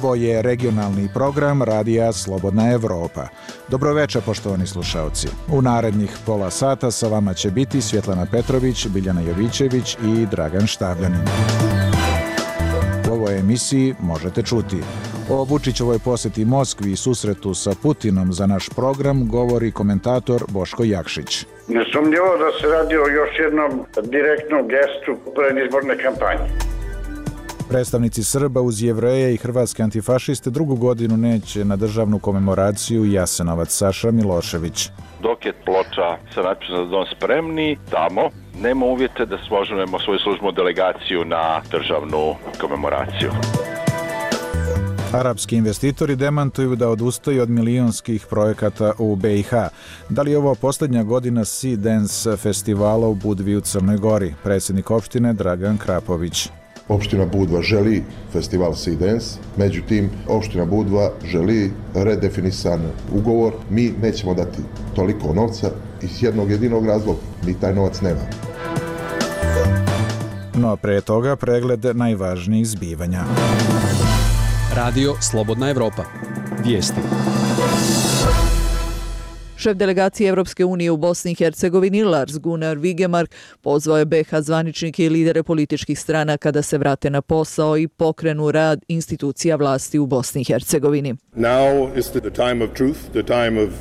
Ovo je regionalni program Radija Slobodna Evropa. Dobroveče, poštovani slušaoci. U narednih pola sata sa vama će biti Svjetlana Petrović, Biljana Jovićević i Dragan Štavljanin. U ovoj emisiji možete čuti: o Vučićevoj posjeti Moskvi i susretu sa Putinom za naš program govori komentator Boško Jakšić. Nesumnjivo da se radi o još jednom direktnom gestu predizborne kampanje. Predstavnici Srba uz Jevreje i hrvatske antifašiste drugu godinu neće na državnu komemoraciju Jasenovac. Saša Milošević. Dok je ploča sa natpisom "Za dom spremni", tamo nema uvjete da složimo svoju službenu delegaciju na državnu komemoraciju. Arapski investitori demantuju da odustaju od milionskih projekata u BiH. Da li je ovo posljednja godina Sea Dance festivala u Budvi u Crnoj Gori? Predsjednik opštine Dragan Krapović. Opština Budva želi festival Sea Dance, međutim, opština Budva želi redefinisan ugovor. Mi nećemo dati toliko novca iz jednog jedinog razloga. Mi taj novac nemamo. No pre toga pregled najvažnijih zbivanja. Radio Slobodna Evropa. Vijesti. Šef delegacije Evropske unije u Bosni i Hercegovini Lars Gunnar Vigemark pozvao je BiH zvaničnike i lidere političkih stranaka da se vrate na posao i pokrenu rad institucija vlasti u Bosni i Hercegovini.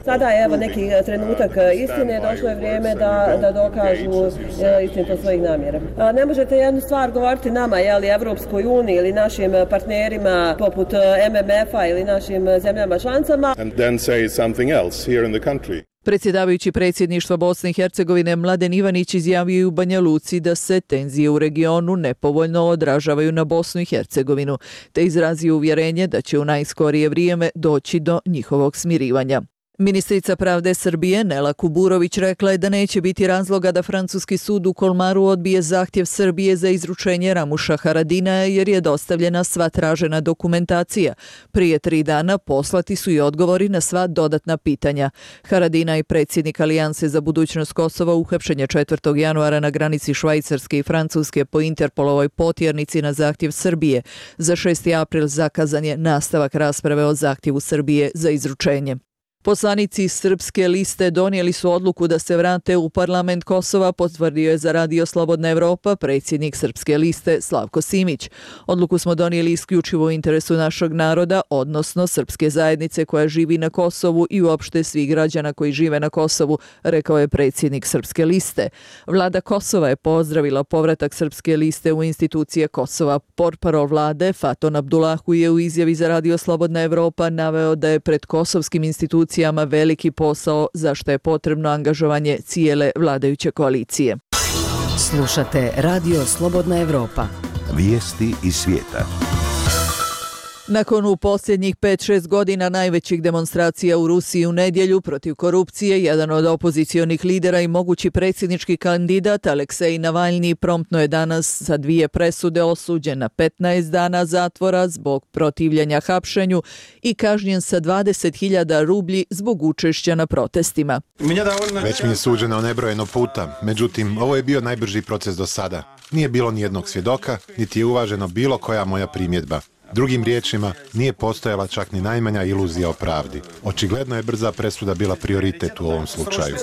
Sada je evo neki trenutak istine, došlo je vrijeme da dokažu istinitost svojih namjera. Ne možete jednu stvar govoriti nama, Evropskoj uniji ili našim partnerima poput MMF-a ili našim zemljama članicama. Predsjedavajući predsjedništva Bosne i Hercegovine Mladen Ivanić izjavio u Banja Luci da se tenzije u regionu nepovoljno odražavaju na Bosnu i Hercegovinu, te izrazio uvjerenje da će u najskorije vrijeme doći do njihovog smirivanja. Ministrica pravde Srbije Nela Kuburović rekla je da neće biti razloga da francuski sud u Kolmaru odbije zahtjev Srbije za izručenje Ramuša Haradinaja jer je dostavljena sva tražena dokumentacija. Prije 3 dana poslati su i odgovori na sva dodatna pitanja. Haradinaj, predsjednik Alijanse za budućnost Kosova, uhapšen je 4. januara na granici Švajcarske i Francuske po Interpolovoj potjernici na zahtjev Srbije. Za 6. april zakazan je nastavak rasprave o zahtjevu Srbije za izručenje. Poslanici Srpske liste donijeli su odluku da se vrate u parlament Kosova, potvrdio je za Radio Slobodna Evropa predsjednik Srpske liste Slavko Simić. Odluku smo donijeli isključivo u interesu našeg naroda, odnosno srpske zajednice koja živi na Kosovu i uopšte svih građana koji žive na Kosovu, rekao je predsjednik Srpske liste. Vlada Kosova je pozdravila povratak Srpske liste u institucije Kosova. Portparol vlade Faton Abdullahu je u izjavi za Radio Slobodna Evropa naveo da je pred kosovskim institucijama veliki posao za što je potrebno angažovanje cijele vladajuće koalicije. Slušate Radio Slobodna Evropa. Vijesti iz svijeta. Nakon u posljednjih 5-6 godina najvećih demonstracija u Rusiji u nedjelju protiv korupcije, jedan od opozicionih lidera i mogući predsjednički kandidat Aleksej Navalni promptno je danas sa 2 presude osuđen na 15 dana zatvora zbog protivljenja hapšenju i kažnjen sa 20.000 rublji zbog učešća na protestima. Već mi je suđeno nebrojeno puta, međutim, ovo je bio najbrži proces do sada. Nije bilo ni jednog svjedoka, niti je uvaženo bilo koja moja primjedba. Drugim riječima, nije postojala čak ni najmanja iluzija o pravdi. Očigledno je brza presuda bila prioritet u ovom slučaju.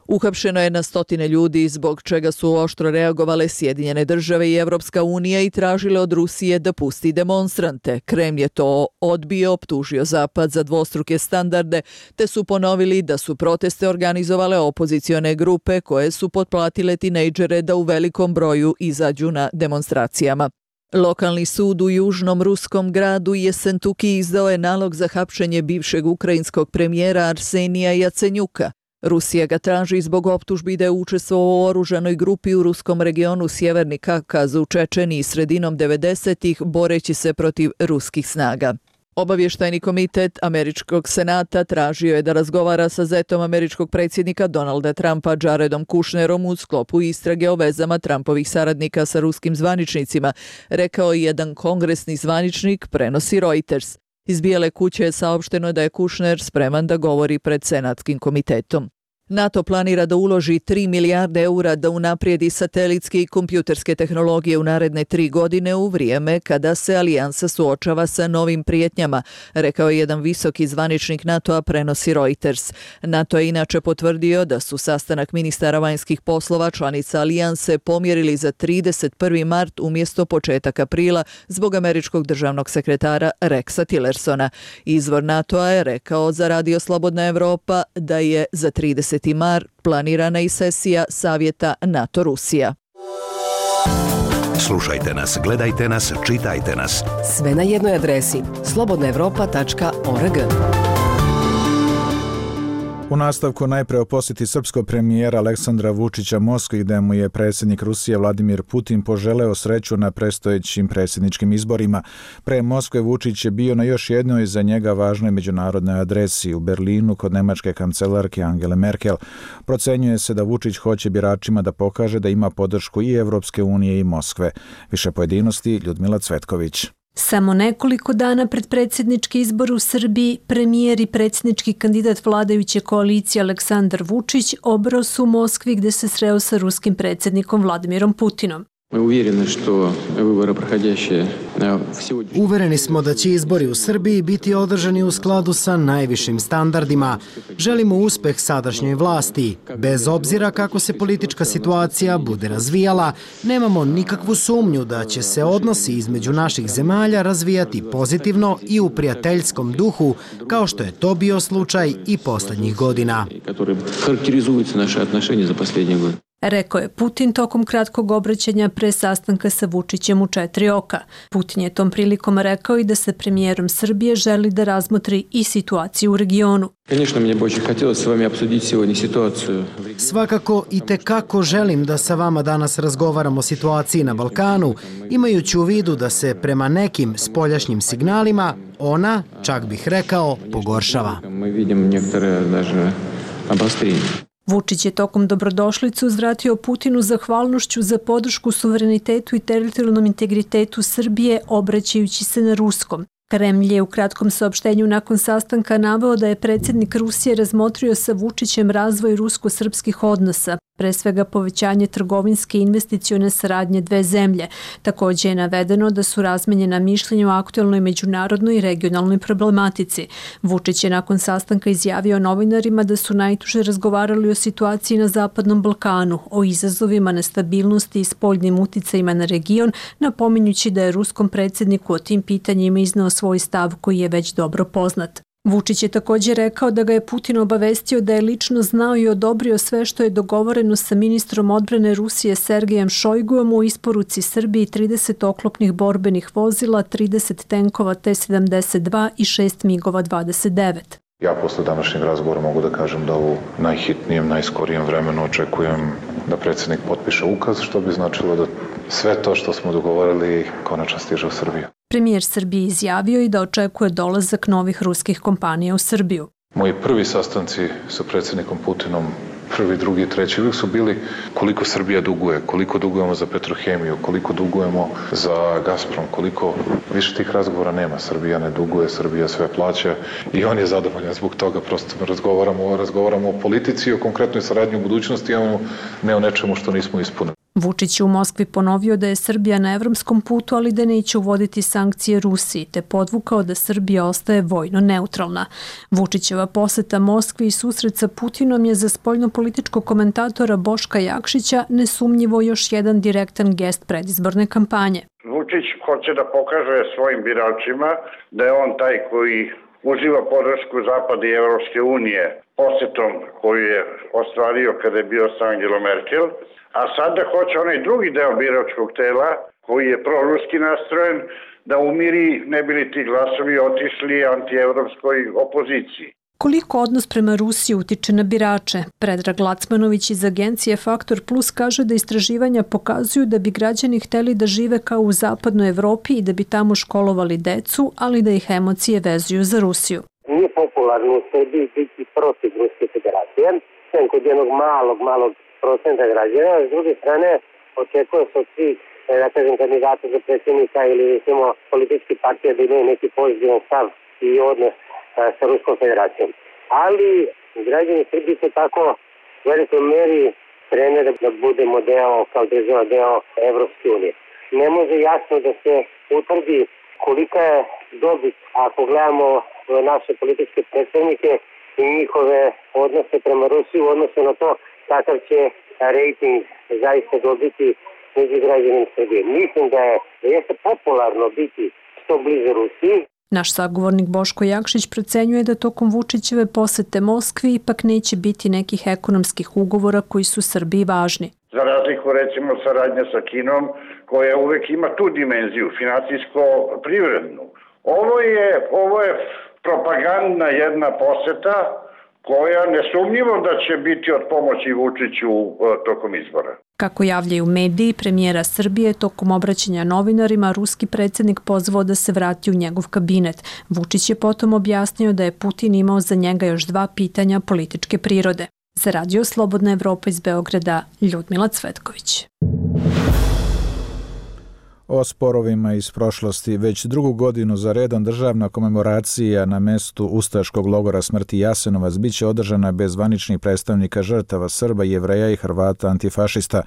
Uhapšeno je na stotine ljudi, zbog čega su oštro reagovale Sjedinjene države i Evropska unija i tražile od Rusije da pusti demonstrante. Kreml je to odbio, optužio Zapad za dvostruke standarde, te su ponovili da su proteste organizovale opozicione grupe koje su potplatile tinejdžere da u velikom broju izađu na demonstracijama. Lokalni sud u južnom ruskom gradu Jesentuki izdao je nalog za hapšenje bivšeg ukrajinskog premijera Arsenija Jacenjuka. Rusija ga traži zbog optužbi da je učestvovao u oružanoj grupi u ruskom regionu Sjeverni Kavkaz u Čečeniji sredinom 90-ih boreći se protiv ruskih snaga. Obavještajni komitet Američkog senata tražio je da razgovara sa zetom američkog predsjednika Donalda Trumpa Jaredom Kushnerom u sklopu istrage o vezama Trumpovih saradnika sa ruskim zvaničnicima, rekao je jedan kongresni zvaničnik, prenosi Reuters. Iz Bijele kuće je saopšteno da je Kushner spreman da govori pred senatskim komitetom. NATO planira da uloži 3 milijarde eura da unaprijedi satelitske i kompjuterske tehnologije u naredne 3 godine u vrijeme kada se alijansa suočava sa novim prijetnjama, rekao je jedan visoki zvaničnik NATO-a, prenosi Reuters. NATO je inače potvrdio da su sastanak ministara vanjskih poslova članica alijanse pomjerili za 31. mart umjesto početak aprila zbog američkog državnog sekretara Rexa Tillersona. Izvor NATO-a je rekao za Radio Slobodna Evropa da je za 30. mart planirana i sesija Savjeta NATO-Rusija. Slušajte nas, gledajte nas, čitajte nas. Sve na jednoj adresi slobodnaevropa.org. U nastavku najpre o posjeti srpskog premijera Aleksandra Vučića Moskvi, gde mu je predsjednik Rusije Vladimir Putin poželeo sreću na predstojećim predsjedničkim izborima. Pre Moskve Vučić je bio na još jednoj za njega važnoj međunarodnoj adresi u Berlinu kod nemačke kancelarke Angele Merkel. Procenjuje se da Vučić hoće biračima da pokaže da ima podršku i Evropske unije i Moskve. Više pojedinosti Ljudmila Cvetković. Samo nekoliko dana pred predsjednički izbor u Srbiji, premijer i predsjednički kandidat vladajuće koalicije Aleksandar Vučić obrao su u Moskvi gde se sreo sa ruskim predsjednikom Vladimirom Putinom. Uvereni smo da će izbori u Srbiji biti održani u skladu sa najvišim standardima. Želimo uspeh sadašnjoj vlasti. Bez obzira kako se politička situacija bude razvijala, nemamo nikakvu sumnju da će se odnosi između naših zemalja razvijati pozitivno i u prijateljskom duhu, kao što je to bio slučaj i poslednjih godina. Rekao je Putin tokom kratkog obraćanja pre sastanka sa Vučićem u 4 oka. Putin je tom prilikom rekao i da sa premijerom Srbije želi da razmotri i situaciju u regionu. Svakako i tekako želim da sa vama danas razgovaramo o situaciji na Balkanu, imajući u vidu da se prema nekim spoljašnjim signalima ona, čak bih rekao, pogoršava. Vučić je tokom dobrodošlicu uzvratio Putinu zahvalnošću za podršku suverenitetu i teritorijalnom integritetu Srbije, obraćajući se na ruskom. Kremlj je u kratkom saopštenju nakon sastanka naveo da je predsjednik Rusije razmotrio sa Vučićem razvoj rusko-srpskih odnosa, pre svega povećanje trgovinske i investicione saradnje dve zemlje. Također je navedeno da su razmenjena mišljenja o aktuelnoj međunarodnoj i regionalnoj problematici. Vučić je nakon sastanka izjavio novinarima da su najtuže razgovarali o situaciji na Zapadnom Balkanu, o izazovima, nestabilnosti i spoljnim uticajima na region, napominjući da je ruskom predsjedniku o tim pitanjima izneo svoj stav koji je već dobro poznat. Vučić je također rekao da ga je Putin obavestio da je lično znao i odobrio sve što je dogovoreno sa ministrom odbrane Rusije Sergejem Šojguom u isporuci Srbiji 30 oklopnih borbenih vozila, 30 tenkova T-72 i 6 MiG-ova 29. Ja posle današnjeg razgovora mogu da kažem da u najhitnijem, najskorijem vremenu očekujem da predsjednik potpiše ukaz, što bi značilo da sve to što smo dogovorili konačno stiže u Srbiju. Premijer Srbije izjavio i da očekuje dolazak novih ruskih kompanija u Srbiju. Moji prvi sastanci sa predsjednikom Putinom, prvi, drugi, treći, uvijek su bili koliko Srbija duguje, koliko dugujemo za Petrohemiju, koliko dugujemo za Gazprom, koliko više tih razgovora nema. Srbija ne duguje, Srbija sve plaća i on je zadovoljan zbog toga. Prosto razgovaramo o politici i o konkretnoj saradnji u budućnosti, a ne o nečemu što nismo ispunili. Vučić je u Moskvi ponovio da je Srbija na evropskom putu, ali da neće uvoditi sankcije Rusiji, te podvukao da Srbija ostaje vojno neutralna. Vučićeva poseta Moskvi i susret sa Putinom je za spoljnopolitičkog komentatora Boška Jakšića nesumnjivo još jedan direktan gest predizborne kampanje. Vučić hoće da pokaže svojim biračima da je on taj koji uživa podršku Zapada i Evropske unije posjetom koju je ostvario kada je bio sa Angelom Merkel, a sada hoće onaj drugi deo biračkog tela koji je proruski nastrojen da umiri, ne bi li ti glasovi otišli antievropskoj opoziciji. Koliko odnos prema Rusiji utiče na birače? Predrag Lacmanović iz agencije Faktor Plus kaže da istraživanja pokazuju da bi građani hteli da žive kao u zapadnoj Evropi i da bi tamo školovali decu, ali da ih emocije vezuju za Rusiju. Nije popularno u Srbiji biti protiv Ruske federacije, sem kod jednog malog procenta građana. S druge strane, očekuje se od svih kandidata za predsjednika ili recimo politički partija da imaju neki pozitivan stav i odnos sa Ruskom federacijom. Ali građani Srbije se tako u velikoj meri krene da budemo kao država deo Evropske unije. Ne može jasno da se utvrdi kolika je dobit ako gledamo naše političke predstavnike i njihove odnose prema Rusiji u odnosu na to kakav će rejting zaista dobiti među građanima Srbije. Mislim da jeste popularno biti što bliže Rusiji. Naš sagovornik Boško Jakšić procenjuje da tokom Vučićeve posete Moskvi ipak neće biti nekih ekonomskih ugovora koji su Srbiji važni. Za razliku recimo saradnja sa Kinom koja uvek ima tu dimenziju, financijsko-privrednu. Ovo je propagandna jedna poseta koja nesumnjivo da će biti od pomoći Vučiću tokom izbora. Kako javljaju mediji, premijera Srbije tokom obraćanja novinarima, ruski predsjednik pozvao da se vrati u njegov kabinet. Vučić je potom objasnio da je Putin imao za njega još 2 pitanja političke prirode. Za Radio Slobodna Evropa iz Beograda, Ljudmila Cvetković. O sporovima iz prošlosti već drugu godinu za redom državna komemoracija na mestu ustaškog logora smrti Jasenovac biće održana bez zvaničnih predstavnika žrtava Srba, Jevreja i Hrvata antifašista.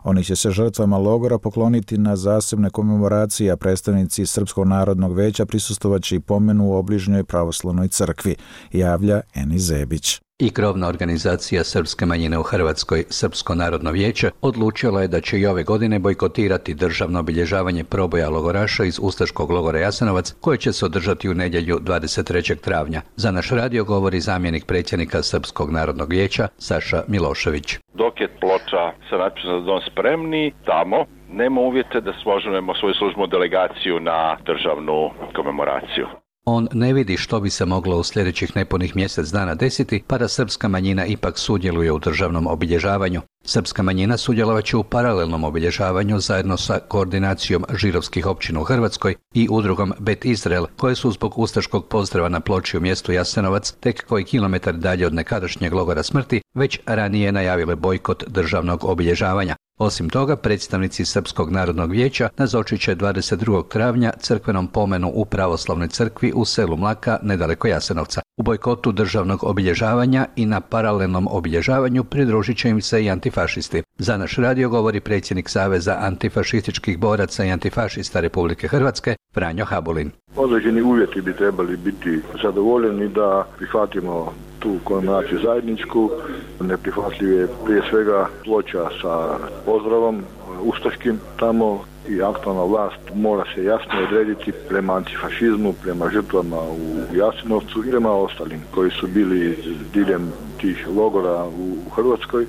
Oni će se žrtvama logora pokloniti na zasebne komemoracije, a predstavnici Srpskog narodnog veća prisustvovaće i pomenu u obližnjoj pravoslavnoj crkvi, javlja Eni Zebić. I krovna organizacija srpske manjine u Hrvatskoj, Srpsko narodno vijeće, odlučila je da će i ove godine bojkotirati državno obilježavanje proboja logoraša iz ustaškog logora Jasenovac, koje će se održati u nedjelju 23. travnja. Za naš radio govori zamjenik predsjednika Srpskog narodnog vijeća, Saša Milošević. Dok je ploča sa natpisom "Za dom spremni", tamo nema uvjete da složimo svoju službenu delegaciju na državnu komemoraciju. On ne vidi što bi se moglo u sljedećih nepunih mjesec dana desiti, pa da srpska manjina ipak sudjeluje u državnom obilježavanju. Srpska manjina sudjelovat će u paralelnom obilježavanju zajedno sa koordinacijom židovskih općina u Hrvatskoj i udrugom Bet Izrael, koje su zbog ustaškog pozdrava na ploči u mjestu Jasenovac, tek koji kilometar dalje od nekadašnjeg logora smrti, već ranije najavile bojkot državnog obilježavanja. Osim toga, predstavnici Srpskog narodnog vijeća nazočit će 22. travnja crkvenom pomenu u pravoslavnoj crkvi u selu Mlaka, nedaleko Jasenovca. U bojkotu državnog obilježavanja i na paralelnom obilježavanju pridružit će im se i antifašisti. Za naš radio govori predsjednik Saveza antifašističkih boraca i antifašista Republike Hrvatske, Franjo Habulin. Određeni uvjeti bi trebali biti zadovoljeni da prihvatimo tu komemoraciju zajedničku. Neprihvatljiv je prije svega ploča sa pozdravom ustaškim tamo i aktualna vlast mora se jasno odrediti prema antifašizmu, prema žrtvama u Jasenovcu i prema ostalim koji su bili diljem tih logora u Hrvatskoj.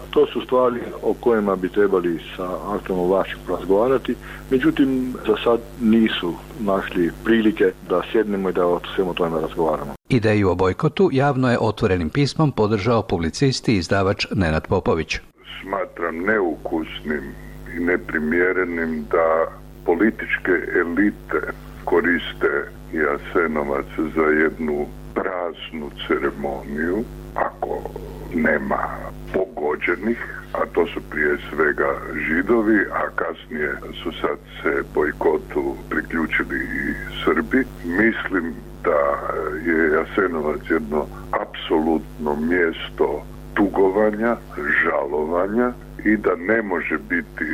To su stvari o kojima bi trebali sa aktualnom vlašću razgovarati, međutim za sad nisu našli prilike da sjednemo i da o svemu tome razgovaramo. Ideju o bojkotu javno je otvorenim pismom podržao publicist i izdavač Nenad Popović. Smatram neukusnim i neprimjerenim da političke elite koriste Jasenovac za jednu praznu ceremoniju, ako nema pogođenih, a to su prije svega Židovi, a kasnije su sad se bojkotu priključili i Srbi. Mislim da je Jasenovac jedno apsolutno mjesto tugovanja, žalovanja i da ne može biti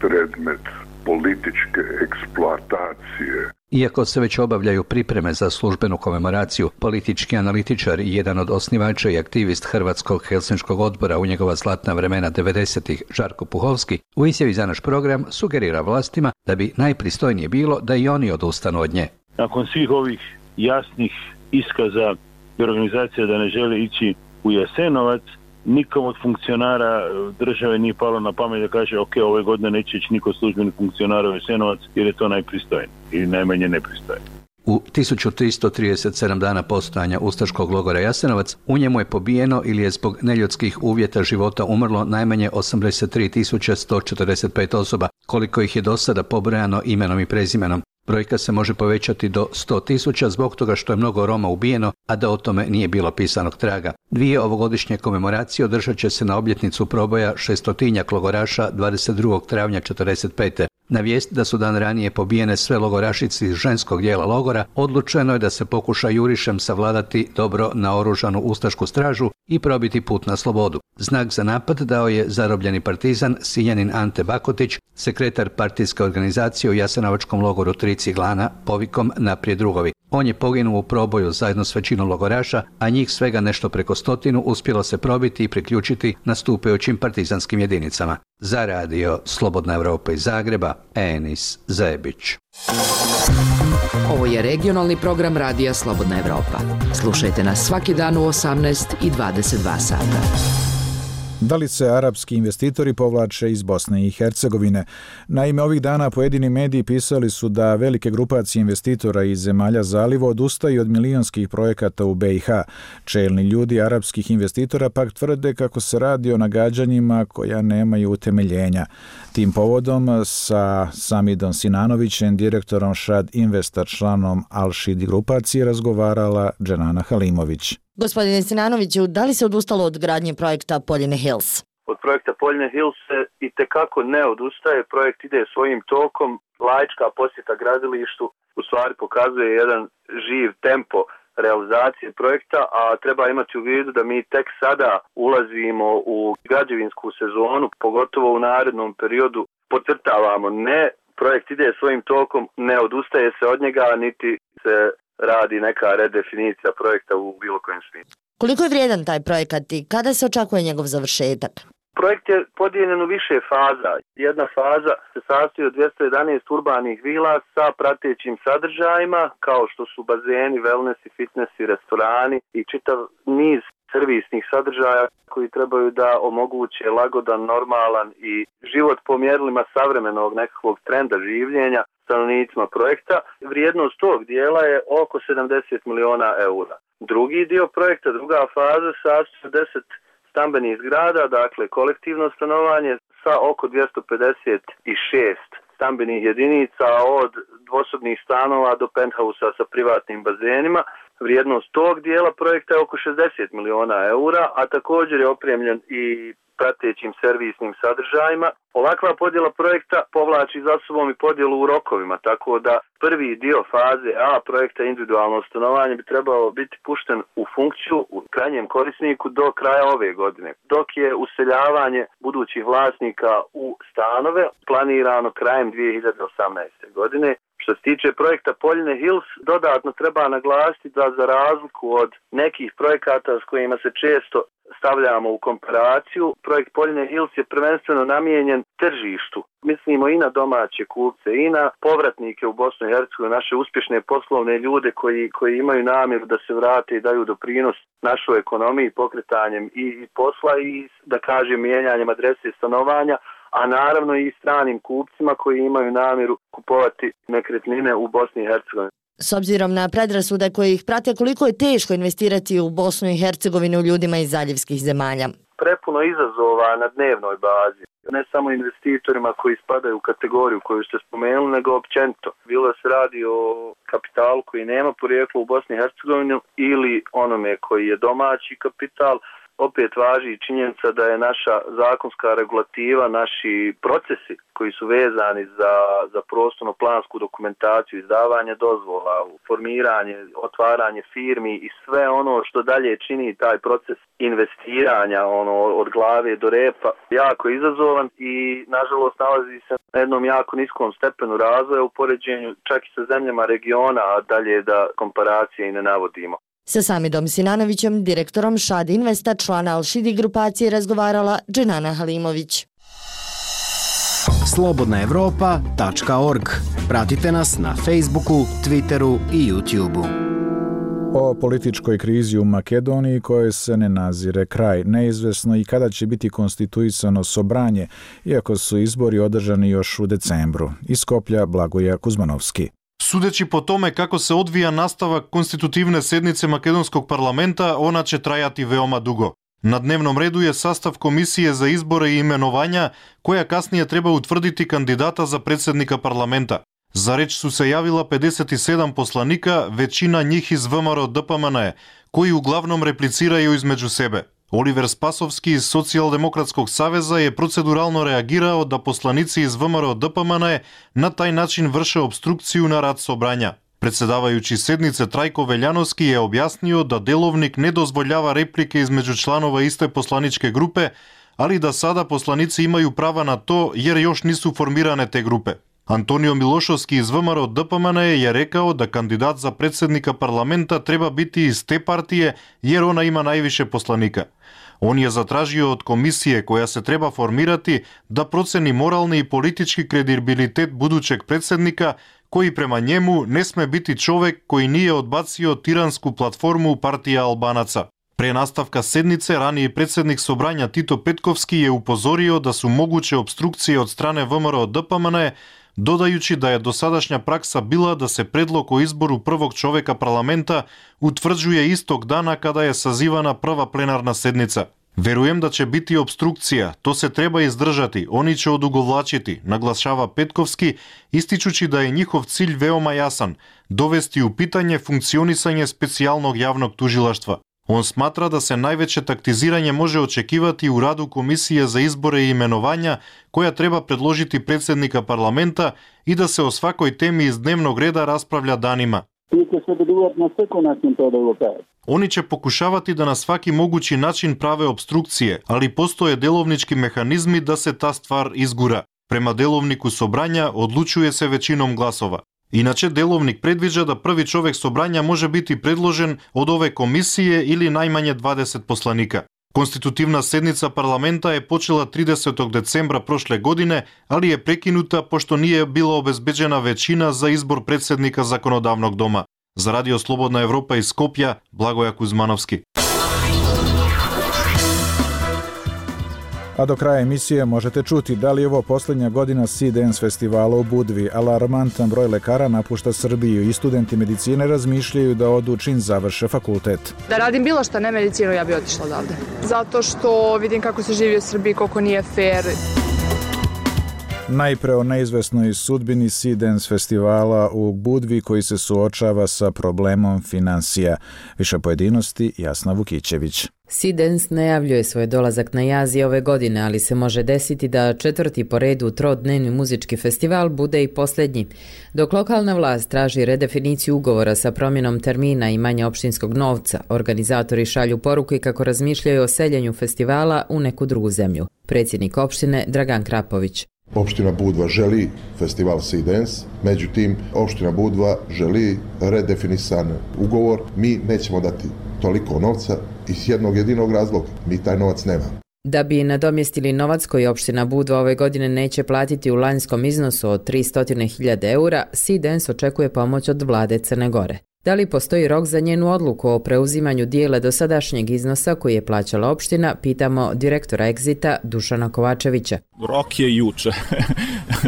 predmet političke eksploatacije. Iako se već obavljaju pripreme za službenu komemoraciju, politički analitičar i jedan od osnivača i aktivist Hrvatskog Helsinškog odbora u njegova zlatna vremena 90-ih, Žarko Puhovski, u izjavi za naš program sugerira vlastima da bi najpristojnije bilo da i oni odustanu od nje. Nakon svih ovih jasnih iskaza i organizacija da ne žele ići u Jasenovac, nikom od funkcionara države nije palo na pamet da kaže ok, ove godine neće ići niko službeni funkcionara u Jasenovac jer je to najpristojnije ili najmanje nepristojnije. U 1337 dana postojanja ustaškog logora Jasenovac u njemu je pobijeno ili je zbog neljudskih uvjeta života umrlo najmanje 83.145 osoba, koliko ih je do sada pobrojano imenom i prezimenom. Brojka se može povećati do 100.000 zbog toga što je mnogo Roma ubijeno, a da o tome nije bilo pisanog traga. 2 ovogodišnje komemoracije održat će se na obljetnicu proboja 600 logoraša 22. travnja 1945. Na vijest da su dan ranije pobijene sve logorašice iz ženskog dijela logora, odlučeno je da se pokuša jurišem savladati dobro naoružanu ustašku stražu i probiti put na slobodu. Znak za napad dao je zarobljeni partizan Sinjanin Ante Bakotić, sekretar partijske organizacije u Jasenovačkom logoru Tri ciglana, povikom Naprijed drugovi. On je poginuo u proboju zajedno s većinom logoraša, a njih svega nešto preko 100 uspjelo se probiti i priključiti nastupajućim partizanskim jedinicama. Za radio Slobodna Evropa iz Zagreba, Enis Zebić. Ovo je regionalni program radija Slobodna Evropa. Slušajte nas svaki dan u 18 i 22 sata. Da li se arapski investitori povlače iz Bosne i Hercegovine? Naime, ovih dana pojedini mediji pisali su da velike grupacije investitora iz zemalja zaliva odustaju od milionskih projekata u BiH. Čelni ljudi arapskih investitora pak tvrde kako se radi o nagađanjima koja nemaju utemeljenja. Tim povodom sa Samidom Sinanovićem, direktorom Shad Investa, članom Al-Shidi grupacije, razgovarala Dženana Halimović. Gospodine Sinanoviću, da li se odustalo od gradnje projekta Poljine Hills? Od projekta Poljine Hills se itekako ne odustaje, projekt ide svojim tokom, laička posjeta gradilištu u stvari pokazuje jedan živ tempo realizacije projekta, a treba imati u vidu da mi tek sada ulazimo u građevinsku sezonu, pogotovo u narednom periodu. Podcrtavamo, ne, projekt ide svojim tokom, ne odustaje se od njega, niti se radi neka redefinicija projekta u bilo kojem smislu. Koliko je vrijedan taj projekat i kada se očekuje njegov završetak? Projekt je podijeljen u više faza. Jedna faza se sastoji od 211 urbanih vila sa pratećim sadržajima, kao što su bazeni, wellness i fitness i restorani i čitav niz servisnih sadržaja koji trebaju da omoguće lagodan, normalan i život po mjerilima savremenog nekakvog trenda življenja stanovnicima projekta. Vrijednost tog dijela je oko 70 miliona eura. Drugi dio projekta, druga faza, sastoji od 10 stambenih zgrada, dakle kolektivno stanovanje sa oko 256 stambenih jedinica od dvosobnih stanova do penthausa sa privatnim bazenima. Vrijednost tog dijela projekta je oko 60 miliona eura, a također je opremljen i pratećim servisnim sadržajima. Ovakva podjela projekta povlači za sobom i podjelu u rokovima, tako da prvi dio faze A projekta individualno stanovanje bi trebalo biti pušten u funkciju u krajnjem korisniku do kraja ove godine, dok je useljavanje budućih vlasnika u stanove planirano krajem 2018. godine. Što se tiče projekta Poljine Hills, dodatno treba naglasiti da za razliku od nekih projekata s kojima se često stavljamo u komparaciju, projekt Poljine Hills je prvenstveno namijenjen tržištu. Mislimo i na domaće kupce i na povratnike u Bosnu i Hercegovinu, naše uspješne poslovne ljude koji imaju namjeru da se vrate i daju doprinos našoj ekonomiji pokretanjem i posla i, da kažem, mijenjanjem adrese stanovanja, a naravno i stranim kupcima koji imaju namjeru kupovati nekretnine u Bosni i Hercegovini. S obzirom na predrasude koje ih prate, koliko je teško investirati u Bosnu i Hercegovinu ljudima iz zaljevskih zemalja? Prepuno izazova na dnevnoj bazi. Ne samo investitorima koji spadaju u kategoriju koju ste spomenuli, nego općenito. Bilo se radi o kapitalu koji nema porijeklo u Bosni i Hercegovini ili onome koji je domaći kapital. Opet važi činjenica da je naša zakonska regulativa, naši procesi koji su vezani za prostorno-plansku dokumentaciju, izdavanje dozvola, formiranje, otvaranje firmi i sve ono što dalje čini taj proces investiranja od glave do repa jako izazovan i nažalost nalazi se na jednom jako niskom stepenu razvoja u poređenju čak i sa zemljama regiona, a dalje da komparacije i ne navodimo. Sa Samidom Sinanovićem, direktorom Shad Investa, člana Al-Shidi grupacije, razgovarala Dženana Halimović. slobodnaevropa.org. Pratite nas na Facebooku, Twitteru i YouTubeu. O političkoj krizi u Makedoniji koje se ne nazire kraj. Neizvesno i kada će biti konstituisano Sobranje, iako su izbori održani još u decembru. Iz Skoplja Blagoja Kuzmanovski. Sudeći po tome kako se odvija nastavak konstitutivne sednice Makedonskog parlamenta, ona će trajati veoma dugo. Na dnevnom redu je sastav komisije za izbore i imenovanja, koja kasnije treba utvrditi kandidata za predsjednika parlamenta. Za reč su se javila 57 poslanika, većina njih iz ВМРО DPMNE, koji uglavnom repliciraju između sebe. Оливер Спасовски из Социјалдемократскog saveza je proceduralno reagirao da poslanici iz ВМРО ДПМН на тај начин vrše обструкцију на рад собрања. Председавајучи седнице Трајко Велјановски е објаснio да деловник не дозвољава реплike измеѓу чланова исте посланичке групе, али да сада посланици имају права на то јер још нису формиране те групе. Антонио Милошовски из ВМРО ДПМН je rekao da kandidat za predsednika parlamenta treba biti iz te partije jer ona ima najviše poslanika. On je zatražio od komisije koja se treba formirati da proceni moralni i politički kredibilitet budućeg predsednika koji prema njemu ne sme biti čovek koji nije odbacio tiransku platformu partija Albanaca. Pre nastavka sednice, raniji predsednik Sobranja Tito Petkovski je upozorio da su moguće obstrukcije od strane ВМРО ДПМН, dodajući da je dosadašnja praksa bila da se predlog o izboru prvog čoveka parlamenta utvrđuje istog dana kada je sazivana prva plenarna sednica. Verujem da će biti obstrukcija, to se treba izdržati, oni će odugovlačiti, naglašava Petkovski, ističući da je njihov cilj veoma jasan, dovesti u pitanje funkcionisanje specijalnog javnog tužilaštva. On smatra da se najveće taktiziranje može očekivati u radu Komisije za izbore i imenovanja, koja treba predložiti predsednika parlamenta i da se o svakoj temi iz dnevnog reda raspravlja danima. Oni će pokušavati da na svaki mogući način prave obstrukcije, ali postoje delovnički mehanizmi da se ta stvar izgura. Prema delovniku Sobranja odlučuje se većinom glasova. Inače, delovnik predviđa da prvi čovek Sobranja može biti predložen od ove komisije ili najmanje 20 poslanika. Konstitutivna sednica parlamenta je počela 30. decembra prošle godine, ali je prekinuta pošto nije bila obezbeđena većina za izbor predsednika zakonodavnog doma. Za Radio Slobodna Evropa iz Skopja, Blagoja Kuzmanovski. A do kraja emisije možete čuti da li je ovo posljednja godina Sea Dance festivala u Budvi. Alarmantan broj lekara napušta Srbiju i studenti medicine razmišljaju da odu čim završe fakultet. Da radim bilo šta, ne medicinu, ja bi otišla odavde. Zato što vidim kako se živi u Srbiji, koliko nije fair. Najpre o neizvesnoj sudbini Sea Dance festivala u Budvi koji se suočava sa problemom finansija. Više pojedinosti Jasna Vukićević. Sea Dance najavljuje svoj dolazak na Jazi ove godine, ali se može desiti da četvrti po redu trodnevni muzički festival bude i posljednji. Dok lokalna vlast traži redefiniciju ugovora sa promjenom termina i manje opštinskog novca, organizatori šalju poruke kako razmišljaju o seljenju festivala u neku drugu zemlju. Predsjednik opštine Dragan Krapović. Opština Budva želi festival Sea Dance, međutim, opština Budva želi redefinisan ugovor. Mi nećemo dati toliko novca iz jednog jedinog razloga. Mi taj novac nemamo. Da bi nadomjestili novac koji opština Budva ove godine neće platiti u lanjskom iznosu od 300.000 eura, Sea Dance očekuje pomoć od vlade Crne Gore. Da li postoji rok za njenu odluku o preuzimanju dijela dosadašnjeg iznosa koji je plaćala opština, pitamo direktora Exita Dušana Kovačevića. Rok je juče.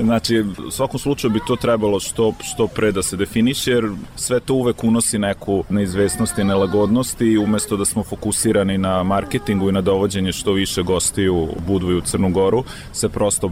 Znači, u svakom slučaju bi to trebalo što pre da se definiše, jer sve to uvek unosi neku neizvesnost i nelagodnost i umesto da smo fokusirani na marketingu i na dovođenje što više gostiju u Budvu i u Crnu Goru, se prosto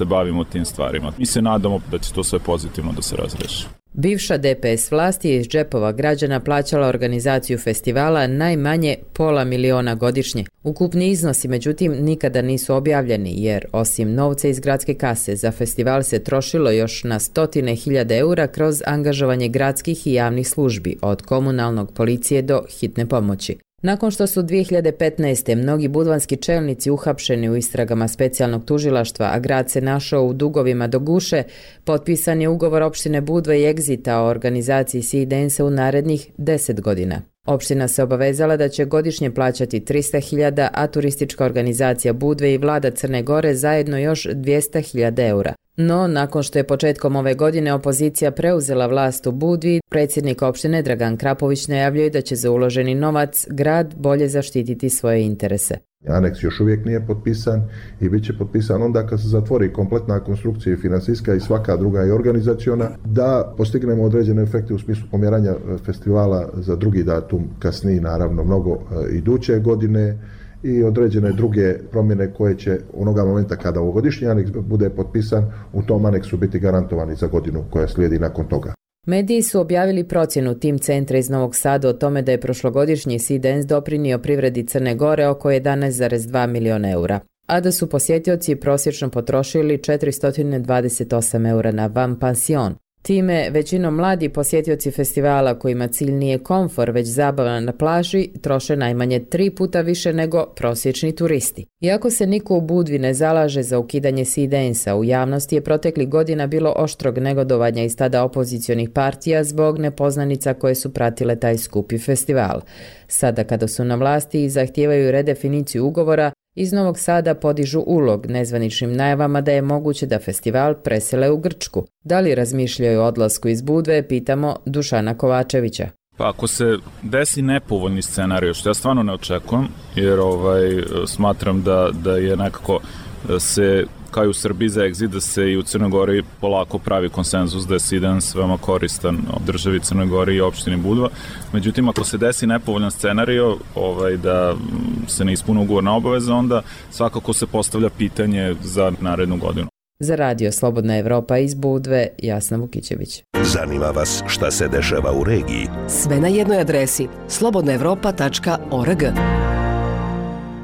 bavimo tim stvarima. Mi se nadamo da će to sve pozitivno da se razreši. Bivša DPS vlast je iz džepova građana plaćala organizaciju festivala najmanje $500.000 godišnje. Ukupni iznosi, međutim, nikada nisu objavljeni, jer osim novca iz gradske kase za festival se trošilo još na 100.000 eura kroz angažovanje gradskih i javnih službi, od komunalnog, policije do hitne pomoći. Nakon što su 2015. mnogi budvanski čelnici uhapšeni u istragama specijalnog tužilaštva, a grad se našao u dugovima do guše, potpisan je ugovor opštine Budva i Exita o organizaciji Sea Dance u narednih 10 godina. Opština se obavezala da će godišnje plaćati 300.000, a turistička organizacija Budve i vlada Crne Gore zajedno još 200.000 eura. No, nakon što je početkom ove godine opozicija preuzela vlast u Budvi, predsjednik opštine Dragan Krapović najavljuje da će za uloženi novac grad bolje zaštititi svoje interese. Aneks još uvijek nije potpisan i bit će potpisan onda kad se zatvori kompletna konstrukcija i finansijska i svaka druga i organizaciona, da postignemo određene efekte u smislu pomjeranja festivala za drugi datum, kasnije naravno mnogo iduće godine, i određene druge promjene koje će onoga momenta kada ovogodišnji aneks bude potpisan u tom aneksu biti garantovani za godinu koja slijedi nakon toga. Mediji su objavili procjenu Tim centra iz Novog Sada o tome da je prošlogodišnji Sea Dance doprinio privredi Crne Gore oko 11,2 miliona eura, a da su posjetioci prosječno potrošili 428 eura na van pansion. Time, većinom mladi posjetioci festivala kojima cilj nije komfor, već zabava na plaži, troše najmanje 3 puta više nego prosječni turisti. Iako se niko u Budvi ne zalaže za ukidanje Sea Dance-a, u javnosti je proteklih godina bilo oštrog negodovanja iz tada opozicionih partija zbog nepoznanica koje su pratile taj skupi festival. Sada kada su na vlasti i zahtijevaju redefiniciju ugovora, iz Novog Sada podižu ulog nezvaničnim najavama da je moguće da festival presele u Grčku. Da li razmišljaju o odlasku iz Budve, pitamo Dušana Kovačevića. Pa ako se desi nepovoljni scenarij, što ja stvarno ne očekujem, jer smatram da je nekako se kao i u Srbiji za egzit, da se i u Crnoj Gori polako pravi konsenzus da je Sea Dance veoma koristan državi Crnoj Gori i opštini Budva. Međutim, ako se desi nepovoljan scenario da se ne ispune ugovorna obaveza, onda svakako se postavlja pitanje za narednu godinu. Za radio Slobodna Evropa iz Budve, Jasna Vukićević. Zanima vas šta se dešava u regiji? Sve na jednoj adresi slobodnaevropa.org.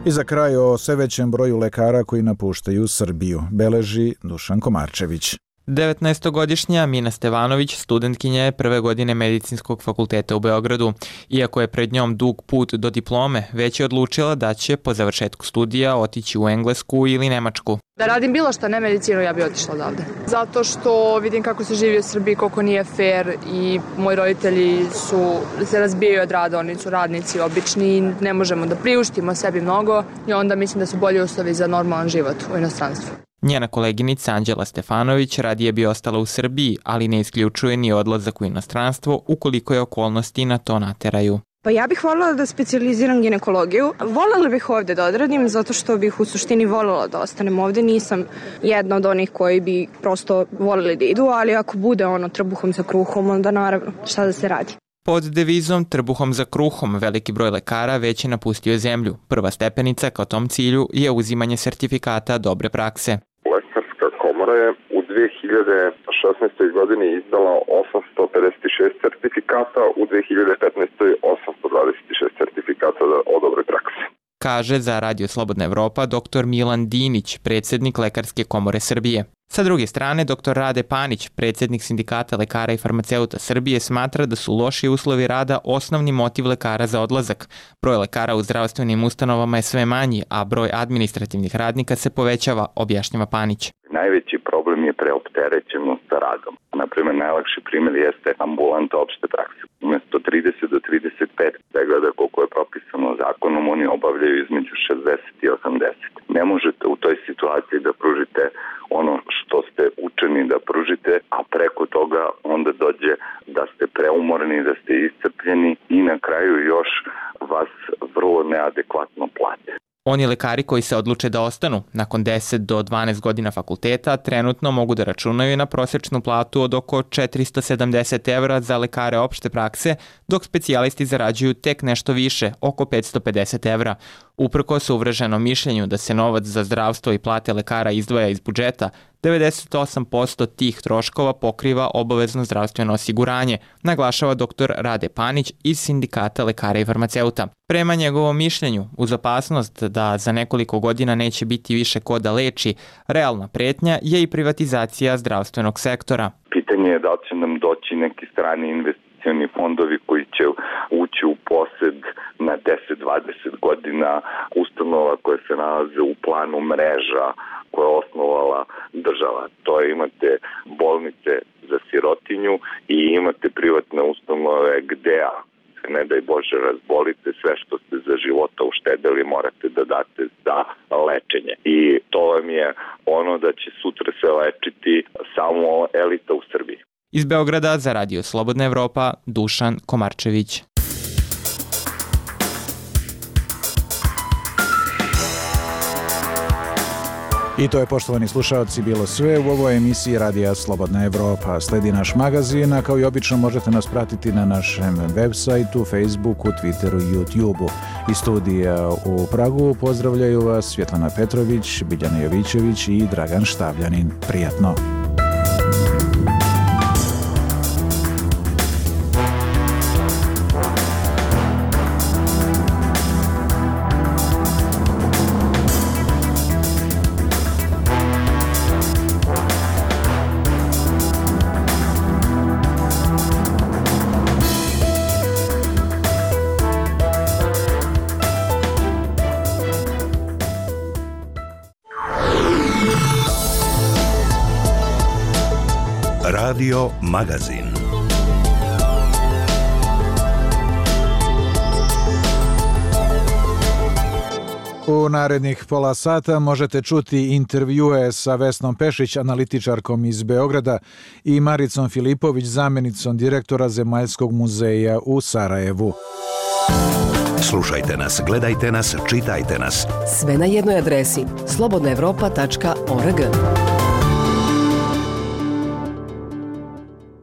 I za kraj o sve većem broju lekara koji napuštaju Srbiju, beleži Dušan Komarčević. 19-godišnja Mina Stevanović studentkinja je prve godine Medicinskog fakulteta u Beogradu. Iako je pred njom dug put do diplome, već je odlučila da će po završetku studija otići u Englesku ili Nemačku. Da radim bilo šta, ne medicinu, ja bi otišla odavde. Zato što vidim kako se živi u Srbiji, koliko nije fair i moji roditelji se razbijaju od rada, oni su radnici obični i ne možemo da priuštimo sebi mnogo i onda mislim da su bolji uslovi za normalan život u inostranstvu. Njena koleginica Anđela Stefanović radije bi ostala u Srbiji, ali ne isključuje ni odlazak u inostranstvo ukoliko je okolnosti na to nateraju. Pa ja bih voljela da specijaliziram ginekologiju. Voljela bih ovde da odradim zato što bih u suštini voljela da ostanem ovde. Nisam jedna od onih koji bi prosto voljeli da idu, ali ako bude trbuhom za kruhom, onda naravno šta da se radi. Pod devizom Trbuhom za kruhom veliki broj lekara već je napustio zemlju. Prva stepenica ka tom cilju je uzimanje sertifikata dobre prakse. Lekarska komora je u 2016. godini izdala 856 sertifikata, u 2015. 826 sertifikata o dobre prakse. Kaže za Radio Slobodna Evropa dr. Milan Dinić, predsjednik Lekarske komore Srbije. Sa druge strane, dr. Rade Panić, predsjednik Sindikata lekara i farmaceuta Srbije, smatra da su loši uslovi rada osnovni motiv lekara za odlazak. Broj lekara u zdravstvenim ustanovama je sve manji, a broj administrativnih radnika se povećava, objašnjava Panić. Najveći problem je preopterećenost sa radom. Naprimer, najlakši primjer jeste ambulanta opšte prakse. Umesto 30 do 35 pregleda koliko je propisano zakonom, oni obavljaju između 60 i 80. Ne možete u toj situaciji da pružite ono što ste učeni da pružite, a preko toga onda dođe da ste preumorni, da ste iscrpljeni i na kraju još vas vrlo neadekvatno plate. Oni lekari koji se odluče da ostanu nakon 10 do 12 godina fakulteta trenutno mogu da računaju na prosječnu platu od oko 470 evra za lekare opšte prakse, dok specijalisti zarađuju tek nešto više, oko 550 evra. Uprkos uvreženom mišljenju da se novac za zdravstvo i plate lekara izdvaja iz budžeta, 98% tih troškova pokriva obavezno zdravstveno osiguranje, naglašava dr. Rade Panić iz Sindikata lekara i farmaceuta. Prema njegovom mišljenju, uz opasnost da za nekoliko godina neće biti više ko da leči, realna pretnja je i privatizacija zdravstvenog sektora. Pitanje je da će nam doći neki strani investicioni fondovi koji će ući u posed na 10-20 godina ustanova koje se nalaze u planu mreža koje je osnovala država. To je, imate bolnice za sirotinju i imate privatne ustanove gde se ne daj Bože razbolite, sve što ste za života uštedeli morate da date za lečenje. I to vam je ono da će sutra se lečiti samo elita u Srbiji. Iz Beograda za Radio Slobodna Evropa, Dušan Komarčević. I to je, poštovani slušalci, bilo sve u ovoj emisiji Radija Slobodna Evropa. Sledi naš magazin, a kao i obično možete nas pratiti na našem web sajtu, Facebooku, Twitteru i YouTubeu. Iz studija u Pragu pozdravljaju vas Svjetlana Petrović, Biljana Jovićević i Dragan Štavljanin. Prijatno! Radio Magazin. U narednih pola sata možete čuti intervjue sa Vesnom Pešić, analitičarkom iz Beograda, i Maricom Filipović, zamjenicom direktora Zemaljskog muzeja u Sarajevu. Slušajte nas, gledajte nas, čitajte nas. Sve na jednoj adresi slobodnaevropa.org.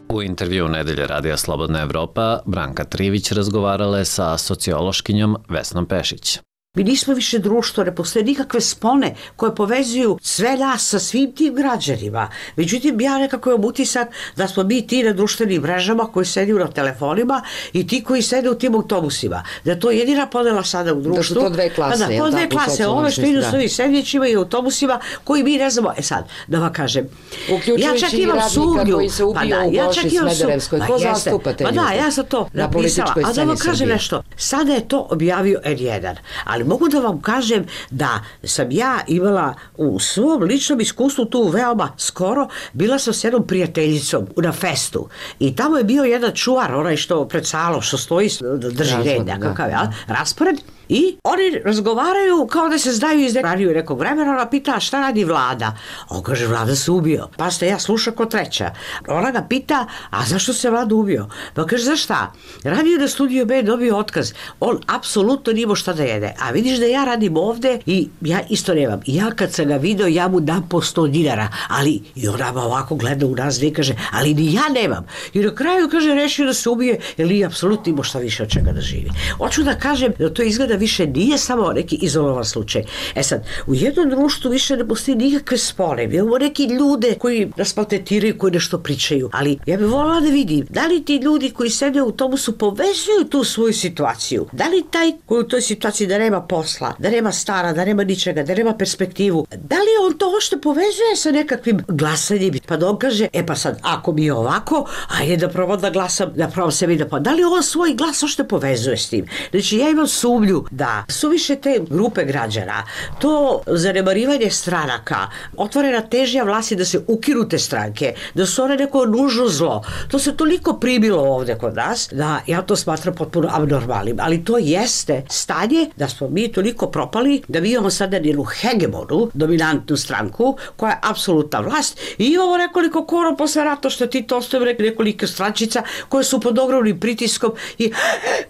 U intervju Nedelje radija Slobodna Evropa, Branka Trivić razgovarala je sa sociološkinjom Vesnom Pešić. Mi nismo više društvo, ne postoje nikakve spone koje povezuju sve nas sa svim tim građanima. Međutim, ja nekako imam utisak da smo mi ti na društvenim mrežama koji sediju na telefonima i ti koji sede u tim autobusima. Da je to jedina podela sada u društvu. Da su to dve klase. Da, to dve klase. Ove što idu s ovim sedjećima i autobusima koji mi ne znamo. Sad, da vam kažem. Uključujući i radnika koji se ubio u Goši Smederevskoj. Ko zastupa te ljude? Da, ja sam to napisala. A da vam kažem nešto. Sada je to objavio N1. Ali mogu da vam kažem da sam ja imala u svom ličnom iskustvu tu veoma skoro, bila sam s jednom prijateljicom na festu i tamo je bio jedan čuvar, onaj što pred salom, što stoji, drži red nekakav, raspored. I oni razgovaraju kao da se znaju iz nekog vremena. Ona pita šta radi Vlada. On kaže Vlada se ubio. Pa ste, ja slušam ko treća. Ona ga pita, a zašto se Vlada ubio? Pa kaže za šta? Radio na Studiju B, dobio otkaz. On apsolutno nije šta da jede. A vidiš da ja radim ovde i ja isto nemam. I ja kad sam ga video, ja mu dam po 100 dinara. Ali i ona ovako gleda u nas i kaže, ali ni ja nemam. I na kraju kaže rešio da se ubije jer nije apsolutno imao šta više od čega da živi. Hoću da kažem da to izgleda više nije samo neki izolovan slučaj. E sad, u jednom društvu više ne postoji nikakve spone. Mi imamo neki ljude koji nas maltretiraju, koji nešto pričaju. Ali ja bih voljela da vidim, da li ti ljudi koji sede u autobusu povezuju tu svoju situaciju? Da li taj koji u toj situaciji da nema posla, da nema stara, da nema ničega, da nema perspektivu, da li on to što povezuje sa nekakvim glasanjem? Pa da on kaže, e pa sad, ako mi je ovako, ajde da probam da glasam, da probam sebi da pa. Da li on svoj glas što povezuje s tim? Znači, ja imam sumnju da su više te grupe građana, to zanemarivanje stranaka, otvorena težnja vlasti da se ukinu te stranke, da su one neko nužno zlo, to se toliko primilo ovde kod nas, da ja to smatram potpuno abnormalnim, ali to jeste stanje da smo mi toliko propali, da mi imamo sada jednu hegemonu, dominantnu stranku, koja je apsolutna vlast i imamo nekoliko kora posle rata što ti to ostavimo nekoliko strančica koje su pod ogromnim pritiskom i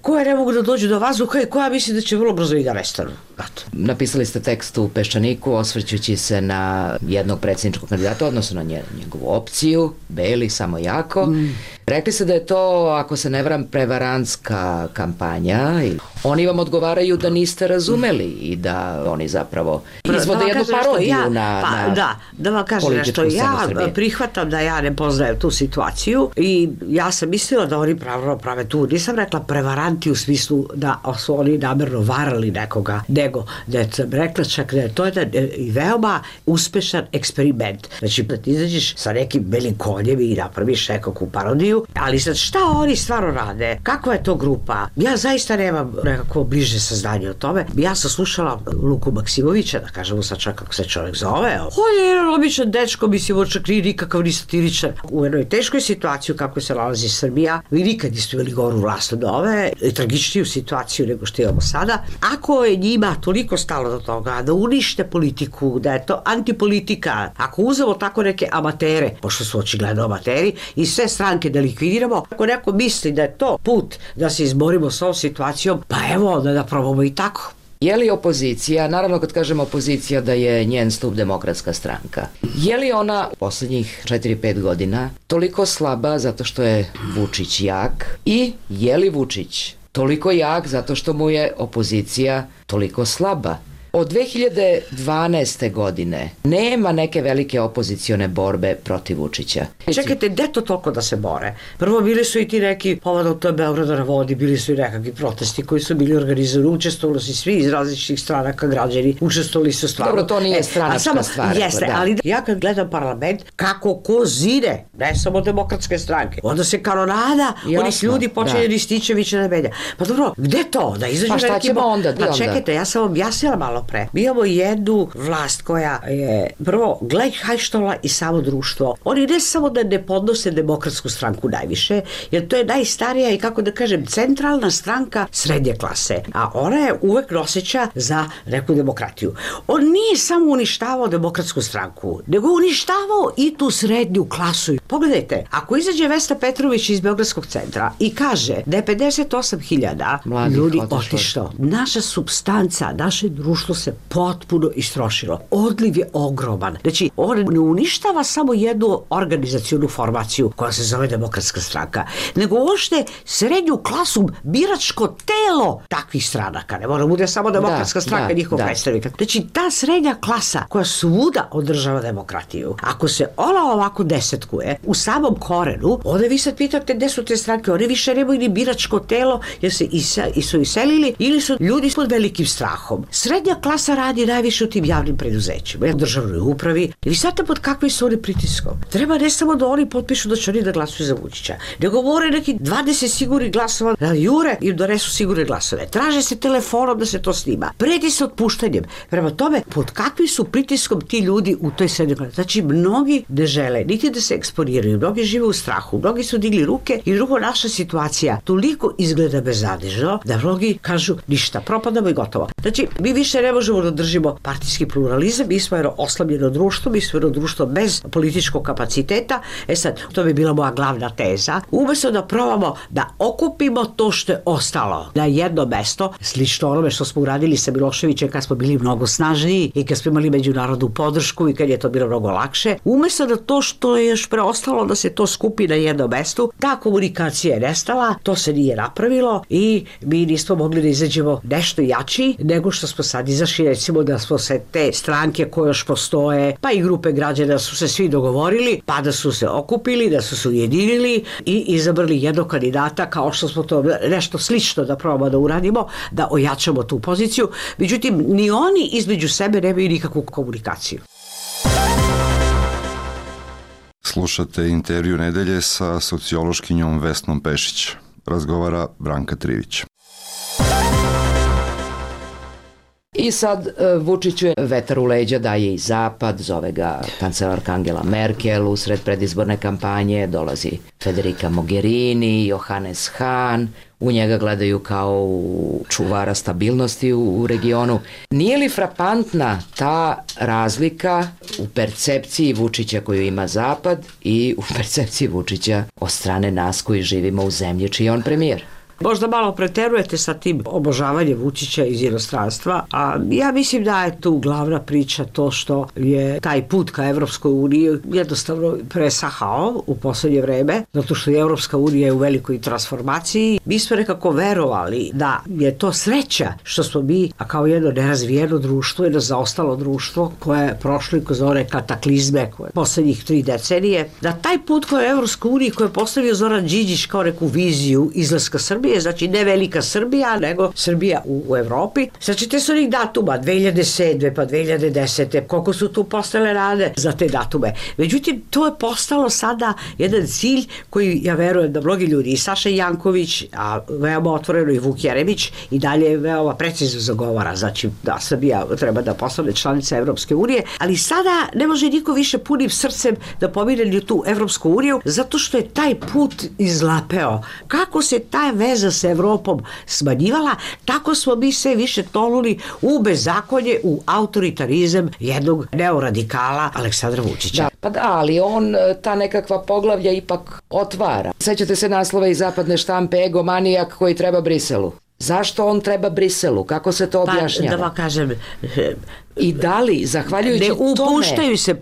koje ne mogu da dođu do vazduha i koja misli da će vrlo brzo i da nestanu. Napisali ste tekst u Peščaniku osvrćući se na jednog predsjedničkog kandidata, odnosno na njegovu opciju, Beli, samo jako. Rekli ste da je to, ako se ne varam, prevarantska kampanja i oni vam odgovaraju da niste razumeli i da oni zapravo izvode jednu parodiju da vam kažem nešto, ja prihvatam da ja ne poznajem tu situaciju i ja sam mislila da oni prave tu, nisam rekla prevaranti u smislu da su oni namerno varali nekoga, nego da je rekla čak da je to jedan veoma uspešan eksperiment. Znači da ti izađeš sa nekim belim konjem i napraviš nekakvu parodiju, ali sad šta oni stvarno rade? Kakva je to grupa? Ja zaista nemam nekako bliže saznanje o tome. Ja sam slušala Luku Maksimovića, da kažemo sad čak kako se čovjek zove. On je jedan običan dečko, mislim, on čak nikakav ni satiričar. U jednoj teškoj situaciji kako se nalazi Srbija, vi nikad niste imali goru vlast od ove, tragičniju situaciju nego što imamo sada. Ako je njima toliko stalo do toga da unište politiku, da je to antipolitika, ako uzemo tako neke amatere, pošto su očigledno amateri, i sve stranke da likvidiramo, ako neko misli da je to put da se izborimo s ovom situacijom, pa evo da probamo i tako. Je li opozicija, naravno kad kažemo opozicija da je njen stup Demokratska stranka, je li ona u poslednjih 4-5 godina toliko slaba zato što je Vučić jak i je li Vučić toliko jak zato što mu je opozicija toliko slaba? Od 2012. godine nema neke velike opozicione borbe protiv Vučića. Čekajte, gde to toliko da se bore? Prvo bili su i ti neki povodom to Beograda na vodi, bili su i nekakvi protesti koji su bili organizovani, učestvovali su svi iz različitih stranaka građani, učestvovali su stvarno. Dobro, to nije stranačka stvar. Jeste, ali ja kad gledam parlament, kako ko zine, ne samo Demokratske stranke, onda se kanonada onih ljudi počinje Rističevića da menja. Pa dobro, gde to? Da izađu pa šta ćemo onda? Pa čekajte, ja sam objasnila malo malopre. Mi imamo jednu vlast koja je prvo gleich-hajštola i samo društvo. Oni ne samo da ne podnose Demokratsku stranku najviše, jer to je najstarija i kako da kažem centralna stranka srednje klase, a ona je uvek noseća za neku demokratiju. On nije samo uništavao Demokratsku stranku, nego uništavao i tu srednju klasu. Pogledajte, ako izađe Vesna Petrović iz Beogradskog centra i kaže da je 58.000 ljudi otišlo, naša supstanca, naše društvo se potpuno istrošilo. Odliv je ogroman. Znači, on ne uništava samo jednu organizacionu formaciju koja se zove Demokratska stranka, nego uopšte srednju klasu, biračko telo takvih stranaka. Ne mora bude samo Demokratska stranka, njihov predstavnik. Znači, ta srednja klasa koja svuda održava demokratiju, ako se ona ovako desetkuje u samom korenu, onda vi sad pitate gde su te stranke, one više nemaju ni biračko telo jer su iselili ili su ljudi pod velikim strahom. Srednja klasa radi najviše u tim javnim preduzećima, u državnoj upravi. I vi znate pod kakvim su oni pritiskom. Treba ne samo da oni potpišu da će oni da glasuju za Vučića, nego govore neki 20 sigurnih glasova da jure im donesu sigurne glasove. Traže se telefonom da se to snima. Preti se otpuštanjem. Prema tome, pod kakvim su pritiskom ti ljudi u toj srednjoj klasi. Znači, mnogi ne žele niti da se eksponiraju, mnogi žive u strahu, mnogi su digli ruke i drugo, naša situacija toliko izgleda beznadežno da mnogi kažu ništa, propadamo i gotovo. Znači, mi više ne možemo da držimo partijski pluralizam, mi smo jedno oslabljeno društvo, mi smo jedno društvo bez političkog kapaciteta. Sad, to bi bila moja glavna teza. Umesto da probamo da okupimo to što je ostalo na jedno mesto, slično onome što smo uradili sa Miloševićem kad smo bili mnogo snažniji i kad smo imali međunarodnu podršku i kad je to bilo mnogo lakše, umesto da to što je još preostalo da se to skupi na jednom mestu, ta komunikacija je nestala, to se nije napravilo i mi nismo mogli da izađemo nešto jači nego što smo sad izašli, recimo da smo se te stranke koje još postoje, pa i grupe građana su se svi dogovorili, pa da su se okupili, da su se ujedinili i izabrali jednog kandidata kao što smo to nešto slično da probamo da uradimo, da ojačamo tu poziciju. Međutim, ni oni između sebe nemaju nikakvu komunikaciju. Slušate intervju nedelje sa sociološkinjom Vesnom Pešić. Razgovara Branka Trivić. I sad Vučiću je vetar u leđa daje i Zapad, zove ga kancelarka Angela Merkel, usred predizborne kampanje dolazi Federica Mogherini, Johannes Hahn, u njega gledaju kao čuvara stabilnosti u regionu. Nije li frapantna ta razlika u percepciji Vučića koju ima Zapad i u percepciji Vučića od strane nas koji živimo u zemlji čiji je on premijer? Možda malo preterujete sa tim obožavanjem Vučića iz inostranstva, a ja mislim da je tu glavna priča to što je taj put ka Evropskoj uniji jednostavno presahao u poslednje vreme, zato što je Evropska unija u velikoj transformaciji. Mi smo nekako verovali da je to sreća što smo mi, a kao jedno nerazvijeno društvo, jedno zaostalo društvo koje je prošlo kroz one kataklizme koje poslednjih 3 decenije, da taj put ka Evropskoj uniji koje je postavio Zoran Đinđić kao neku viziju izlaska Srbije, znači ne velika Srbija, nego Srbija u Evropi. Sačite su onih datuma, 2007. pa 2010. Koliko su tu postale rade za te datume. Međutim, to je postalo sada jedan cilj koji ja verujem da mnogi ljudi, i Saša Janković, a veoma otvoreno i Vuk Jeremić, i dalje veoma precizno zagovara, znači da Srbija treba da postane članica Evropske unije, ali sada ne može niko više punim srcem da pomire tu Evropsku uniju, zato što je taj put izlapeo. Kako se ta veza sa Evropom smanjivala, tako smo mi sve više tonuli u bezakonje, u autoritarizam jednog neoradikala Aleksandra Vučića. Da, pa da, ali on ta nekakva poglavlja ipak otvara. Sećate se naslova iz zapadne štampe, egomanijak koji treba Briselu. Zašto on treba Briselu? Kako se to objašnjava? Pa da vam kažem... I da li, zahvaljujući tome... Ne upuštaju se,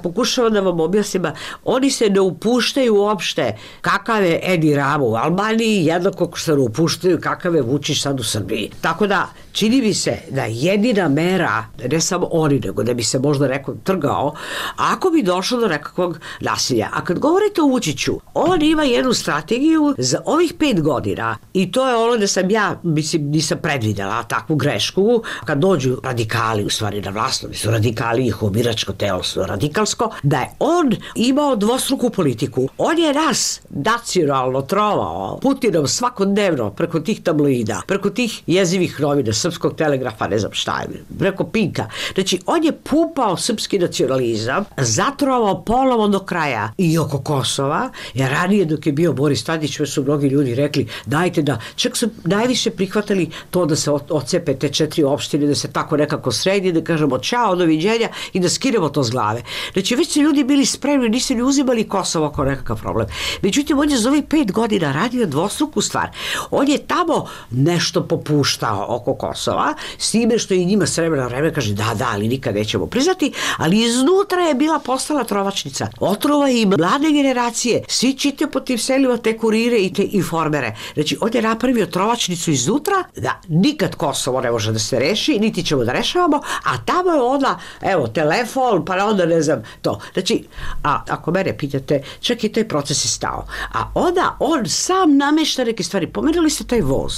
pokušavam da vam objasnim, oni se ne upuštaju uopšte kakav je Edi Rama u Albaniji, jednako kako se ne upuštaju kakav je Vučić sad u Srbiji. Tako da, čini mi se da jedina mera, ne samo oni, nego da bi se možda neko trgao, ako bi došlo do nekakvog nasilja. A kad govorite o Vučiću, on ima jednu strategiju za ovih 5 godina i to je ono da sam ja, mislim, nisam predvidela takvu grešku, kad dođu radikali u stvari imenovani na vlast, oni su radikali, njihovo biračko telo su radikalsko, da je on imao dvostruku politiku. On je nas nacionalno trovao Putinom svakodnevno preko tih tabloida, preko tih jezivih novina, Srpskog telegrafa, ne znam šta je, preko Pinka. Znači, on je pumpao srpski nacionalizam, zatrovao polovo do kraja i oko Kosova, jer ranije dok je bio Boris Tadić, već su mnogi ljudi rekli, dajte da, čak su najviše prihvatali to da se ocepe te 4 opštine, da se tako nekako sredi, da kažemo čao, doviđenja i da skinemo to s glave. Znači, već su ljudi bili spremni, nisu ni uzimali Kosovo kao nekakav problem. Međutim, on je za ovih 5 godina radio dvostruku stvar. On je tamo nešto popuštao oko Kosova, s time što i njima s vremena na vreme kaže da, ali nikad nećemo priznati, ali iznutra je bila postala trovačnica. Otrova i mlade generacije, svi čitaju po tim selima te kurire i te informere. Znači, on je napravio trovačnicu iznutra, da nikad Kosovo ne može da se reši, niti ćemo da rešavamo, a tamo je onda, evo, telefon, pa onda ne znam to. Znači, a ako mene pitate, čak i taj proces je stao. A onda on sam namešta neke stvari. Pomenuli ste taj voz.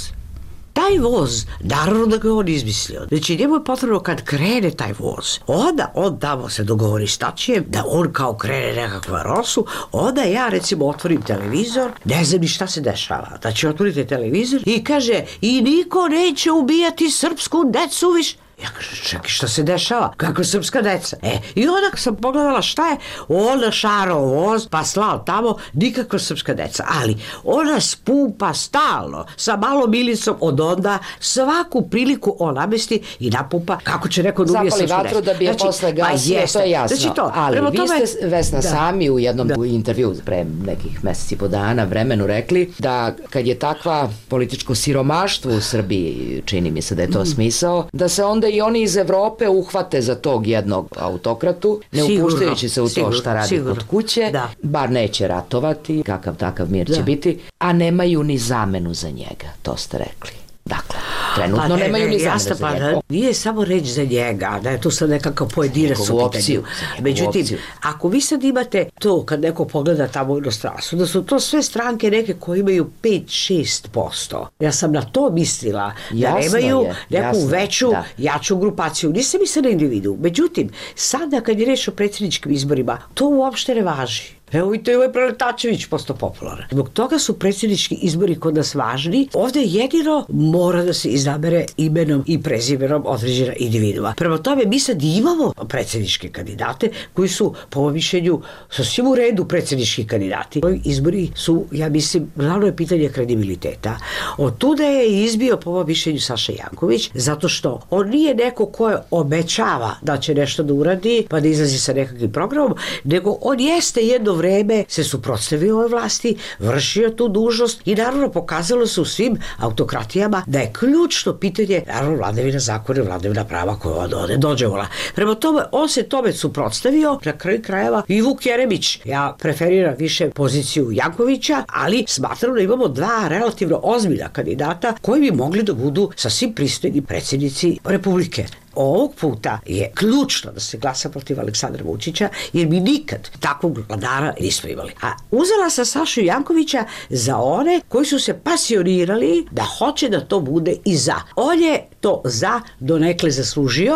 Taj voz, naravno da ga on izmislio. Znači, njemu je potrebno kad krene taj voz, onda on tamo se dogovori s Tačijem, da on kao krene nekakva rosu, onda ja recimo otvorim televizor, ne znam ni šta se dešava. Znači, otvorite televizor i kaže, i niko neće ubijati srpsku decu više. Ja kažem, čekaj, šta se dešava? Kako srpska deca? I onda sam pogledala šta je, ona šarao voz, pa slao tamo, nikakva srpska deca. Ali ona spumpa stalno, sa malom milicom od onda, svaku priliku on namesti i napumpa, kako će neko da ubije srpsku decu. Zapali vatru da bi je posle gasio, to je jasno. Znači to, ali vi ste, Vesna, sami u jednom intervju pre nekih meseci po dana vremenu rekli da kad je takva političko siromaštvo u Srbiji, čini mi se da je to smisao, da se onda i oni iz Evrope uhvate za tog jednog autokratu, ne upuštajući se u to šta radi kod kuće, bar neće ratovati, kakav takav mir će biti, a nemaju ni zamenu za njega, to ste rekli. Dakle, trenutno nemaju ni zamenu za njega. Nije samo reći za njega, da je to sad nekakav pojedinac u pitanju. Međutim, ako vi sad imate to, kad neko pogleda tamo u inostranstvu, da su to sve stranke neke koje imaju 5-6%. Ja sam na to mislila, da nemaju neku veću, jaču grupaciju. Nisam mislila na individu. Međutim, sada kad je reč o predsjedničkim izborima, to uopšte ne važi. Evo i to je ovaj Preletačević postao popularan. Zbog toga su predsjednički izbori kod nas važni. Ovdje jedino mora da se izabere imenom i prezimenom određena individua. Prema tome, mi sad imamo predsjedničke kandidate koji su, po mojom mišljenju, sasvim u redu predsjednički kandidati. Ovi izbori su, ja mislim, glavno je pitanje kredibiliteta. Od tuda je izbio, po mojom mišljenju, Saša Janković, zato što on nije neko ko obećava da će nešto da uradi, pa da izlazi sa nekakvim programom, nego on jeste jedno vreme se suprotstavio ovoj vlasti, vršio tu dužnost i naravno pokazalo se u svim autokratijama da je ključno pitanje, naravno, vladavina zakona i vladavina prava koja ovdje dođevola. Prema tome, on se tome suprotstavio, na kraju krajeva i Vuk Jeremić. Ja preferiram više poziciju Jankovića, ali smatram da imamo dva relativno ozbiljna kandidata koji bi mogli da budu sasvim pristojni predsjednici Republike. Ovog puta je ključno da se glasa protiv Aleksandra Vučića, jer mi nikad takvog vladara nismo imali. A uzela sam Sašu Jankovića za one koji su se pasionirali da hoće da to bude i za. On je to za donekle zaslužio,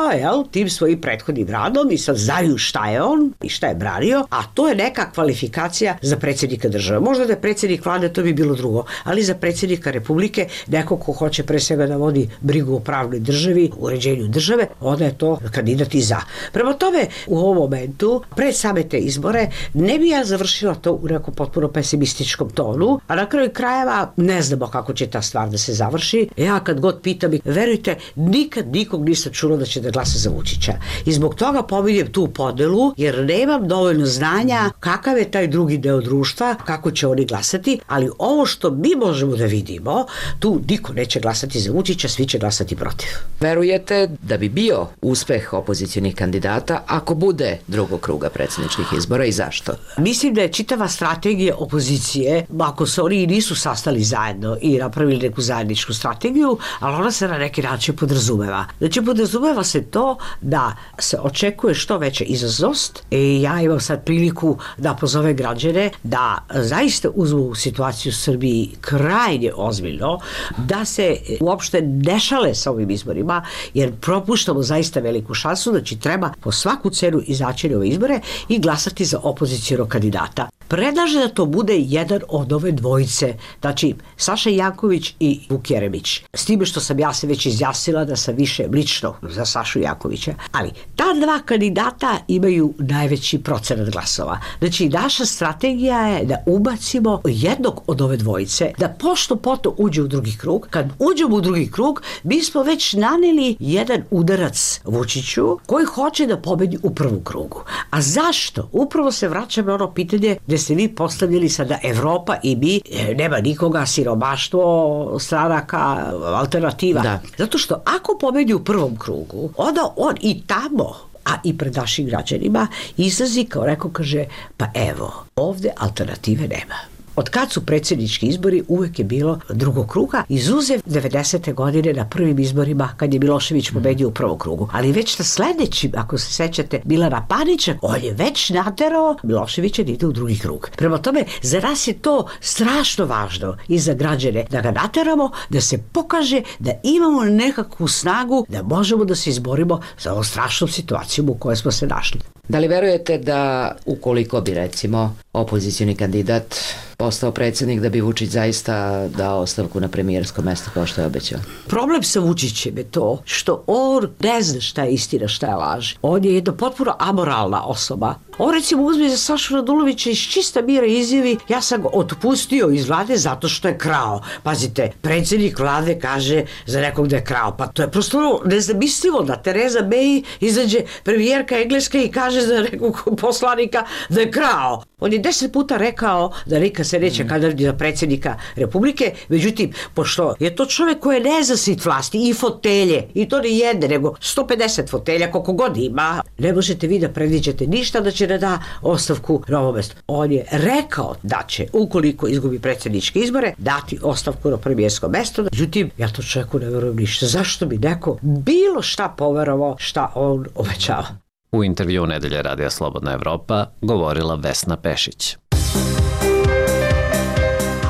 tim svojim prethodnim radom i sad znaju šta je on i šta je branio, a to je neka kvalifikacija za predsjednika države. Možda da je predsjednik vlade, to bi bilo drugo, ali za predsjednika Republike, neko ko hoće pre svega da vodi brigu o pravnoj državi, uređenju države, onda je to kandidat i za. Prema tome, u ovom momentu, pred same te izbore, ne bi ja završila to u nekom potpuno pesimističkom tonu, a na kraju krajeva ne znamo kako će ta stvar da se završi. Ja kad god pitam, verujte, nikad nikog nisam čula da će da glasa za Vučića. I zbog toga pominjem tu podelu, jer nemam dovoljno znanja kakav je taj drugi deo društva, kako će oni glasati, ali ovo što mi možemo da vidimo, tu niko neće glasati za Vučića, svi će glasati protiv. Verujete da bi bio uspeh opozicionih kandidata ako bude drugog kruga predsjedničkih izbora i zašto? Mislim da je čitava strategija opozicije, ako se oni nisu sastali zajedno i napravili neku zajedničku strategiju, ali ona se na neki način uopće podrazumeva? Znači podrazumeva se to da se očekuje što veća izazovnost i ja imam sad priliku da pozove građane da zaista uzmu situaciju u Srbiji krajnje ozbiljno, da se uopšte ne šale sa ovim izborima, jer propuštamo zaista veliku šansu, znači treba po svaku cenu izaći na ove izbore i glasati za opozicionog kandidata. Predlaže da to bude jedan od ove dvojice, znači Saša Janković i Vuk Jeremić. S time što sam ja se već izjasnila da sam više lično za Sašu Jankovića, ali ta dva kandidata imaju najveći procenat glasova. Znači naša strategija je da ubacimo jednog od ove dvojice, da pošto poto uđe u drugi krug. Kad uđemo u drugi krug, mi smo već naneli jedan udarac Vučiću koji hoće da pobedi u prvom krugu. A zašto? Upravo se vraćamo na ono pitanje gde ste vi postavljali sada Evropa i mi, nema nikoga, siromaštvo, stranaka, alternativa. Da. Zato što ako pobedi u prvom krugu, onda on i tamo, a i pred našim građanima, izlazi kao rekao, kaže, pa evo, ovde alternative nema. Od kad su predsjednički izbori uvek je bilo drugog kruga, izuzev 90. godine na prvim izborima kad je Milošević pobedio u prvom krugu. Ali već na sledećim, ako se sećate, Milana Panića, on je već naterao Miloševića da ide u drugi krug. Prema tome, za nas je to strašno važno i za građane da ga nateramo, da se pokaže da imamo nekakvu snagu da možemo da se izborimo za ovom strašnom situacijom u kojoj smo se našli. Da li verujete da ukoliko bi recimo opozicioni kandidat postao predsjednik da bi Vučić zaista dao ostavku na premijersko mesto kao što je obećao? Problem sa Vučićem je to što on ne zna šta je istina, šta je laž. On je jedna potpuno amoralna osoba. On recimo uzme za Sašu Radulovića iz čista mira izjavi, ja sam ga otpustio iz vlade zato što je krao. Pazite, predsjednik vlade kaže za nekog da je krao. Pa to je prosto nezamislivo da Tereza May izađe premijerka Engleska i kaže za nekog poslanika da je krao. On je 10 puta rekao da nikad se neće kandidati za predsjednika Republike, međutim, pošto je to čovjek koji je nezasit vlasti i fotelje, i to ne jedne, nego 150 fotelja, koliko god ima, ne možete vi da predviđate ništa da će ne da ostavku na ovo mesto. On je rekao da će, ukoliko izgubi predsjedničke izbore, dati ostavku na premijersko mesto, međutim, ja to čovjeku ne verujem ništa. Zašto bi neko bilo šta poverovao šta on obećava? U intervju Nedelje Radija Slobodna Evropa govorila Vesna Pešić.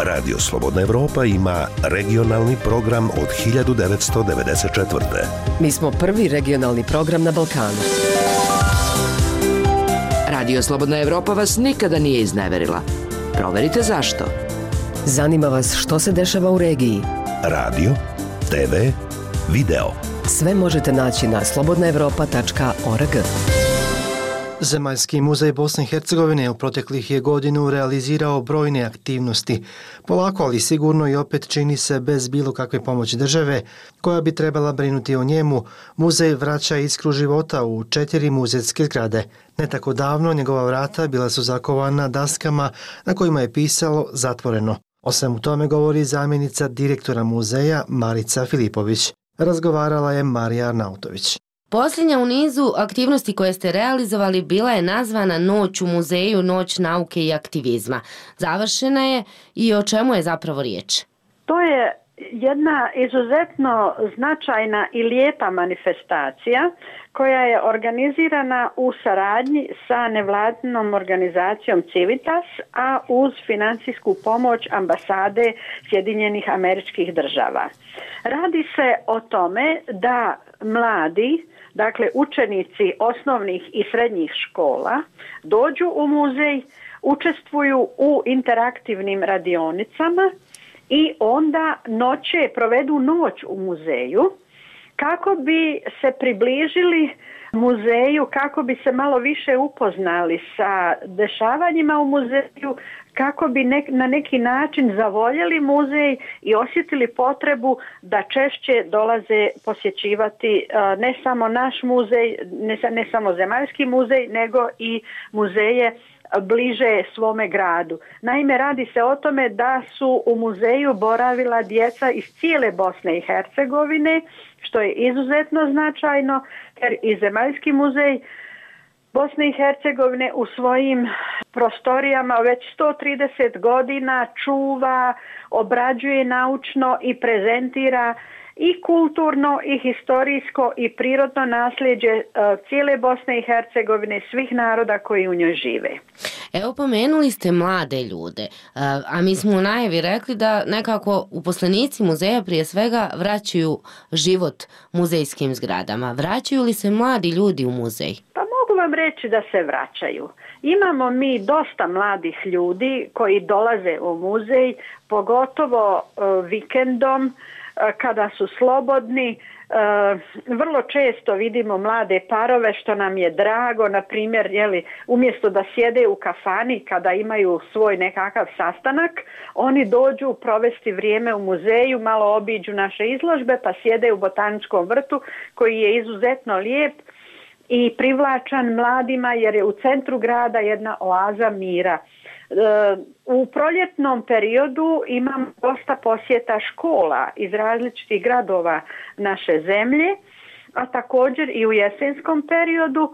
Radio Slobodna Evropa ima regionalni program od 1994. Mi smo prvi regionalni program na Balkanu. Radio Slobodna Evropa vas nikada nije izneverila. Proverite zašto. Zanima vas što se dešava u regiji. Radio, TV, video. Sve možete naći na slobodnaevropa.org. Zemaljski muzej Bosne i Hercegovine u proteklih je godinu realizirao brojne aktivnosti. Polako, ali sigurno i opet čini se bez bilo kakve pomoći države, koja bi trebala brinuti o njemu, muzej vraća iskru života u 4 muzejske zgrade. Ne tako davno njegova vrata bila su zakovana daskama na kojima je pisalo zatvoreno. O svemu tome govori zamjenica direktora muzeja Marica Filipović. Razgovarala je Marija Arnautović. Posljednja u nizu aktivnosti koje ste realizovali bila je nazvana Noć u muzeju, Noć nauke i aktivizma. Završena je i o čemu je zapravo riječ? To je jedna izuzetno značajna i lijepa manifestacija koja je organizirana u saradnji sa nevladinom organizacijom Civitas, a uz financijsku pomoć ambasade Sjedinjenih Američkih Država. Radi se o tome da mladi, dakle učenici osnovnih i srednjih škola, dođu u muzej, učestvuju u interaktivnim radionicama i onda provedu noć u muzeju kako bi se približili muzeju, kako bi se malo više upoznali sa dešavanjima u muzeju, kako bi na neki način zavoljeli muzej i osjetili potrebu da češće dolaze posjećivati ne samo naš muzej, ne samo Zemaljski muzej, nego i muzeje bliže svome gradu. Naime, radi se o tome da su u muzeju boravila djeca iz cijele Bosne i Hercegovine, što je izuzetno značajno, jer i Zemaljski muzej Bosne i Hercegovine u svojim prostorijama već 130 godina čuva, obrađuje naučno i prezentira i kulturno i historijsko i prirodno nasljeđe cijele Bosne i Hercegovine, svih naroda koji u njoj žive. Evo, pomenuli ste mlade ljude, a mi smo u najavi rekli da nekako uposlenici muzeja prije svega vraćaju život muzejskim zgradama. Vraćaju li se mladi ljudi u muzej? Pa mogu vam reći da se vraćaju. Imamo mi dosta mladih ljudi koji dolaze u muzej, pogotovo vikendom kada su slobodni. Vrlo često vidimo mlade parove, što nam je drago, na primjer, umjesto da sjede u kafani kada imaju svoj nekakav sastanak, oni dođu provesti vrijeme u muzeju, malo obiđu naše izložbe pa sjede u Botaničkom vrtu koji je izuzetno lijep i privlačan mladima jer je u centru grada jedna oaza mira. U proljetnom periodu imam dosta posjeta škola iz različitih gradova naše zemlje, a također i u jesenskom periodu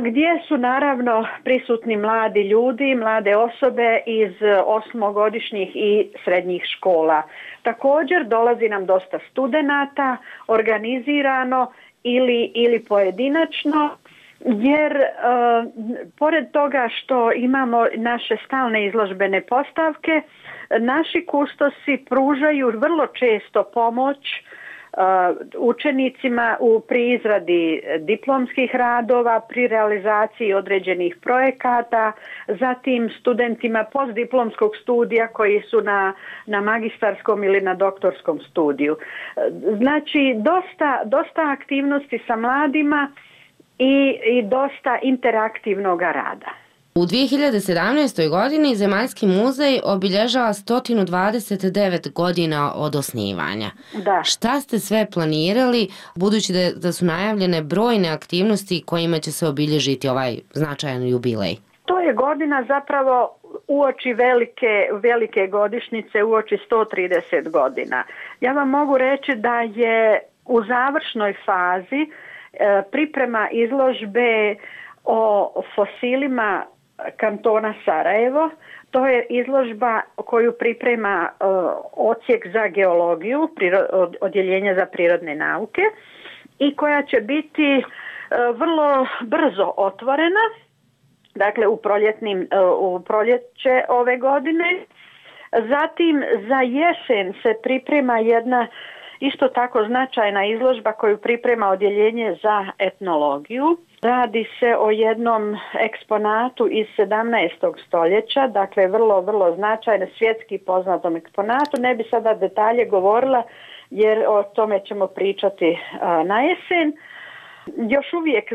gdje su naravno prisutni mladi ljudi, mlade osobe iz osmogodišnjih i srednjih škola. Također dolazi nam dosta studenata, organizirano ili pojedinačno, jer pored toga što imamo naše stalne izložbene postavke, naši kustosi pružaju vrlo često pomoć učenicima pri izradi diplomskih radova, pri realizaciji određenih projekata, zatim studentima postdiplomskog studija koji su na magistarskom ili na doktorskom studiju. Znači, dosta aktivnosti sa mladima i dosta interaktivnog rada. U 2017. godini Zemaljski muzej obilježava 129 godina od osnivanja. Da. Šta ste sve planirali, budući da su najavljene brojne aktivnosti kojima će se obilježiti ovaj značajan jubilej? To je godina zapravo uoči velike godišnjice, uoči 130 godina. Ja vam mogu reći da je u završnoj fazi priprema izložbe o fosilima kantona Sarajevo. To je izložba koju priprema odsjek za geologiju, odjeljenje za prirodne nauke i koja će biti vrlo brzo otvorena, dakle u proljeće ove godine. Zatim za jesen se priprema jedna isto tako značajna izložba koju priprema odjeljenje za etnologiju. Radi se o jednom eksponatu iz 17. stoljeća, dakle vrlo značajno, svjetski poznatom eksponatu. Ne bi sada detalje govorila jer o tome ćemo pričati na jesen. Još uvijek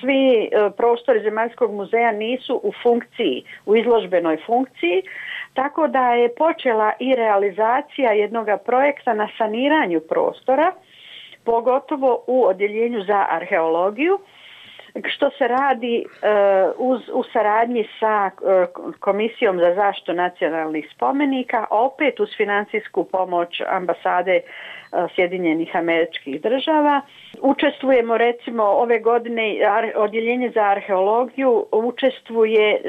svi prostori Zemaljskog muzeja nisu u funkciji, u izložbenoj funkciji, tako da je počela i realizacija jednog projekta na saniranju prostora, pogotovo u odjeljenju za arheologiju, što se radi u saradnji sa Komisijom za zaštitu nacionalnih spomenika, opet uz financijsku pomoć ambasade Sjedinjenih Američkih Država. Učestvujemo recimo ove godine, odjeljenje za arheologiju učestvuje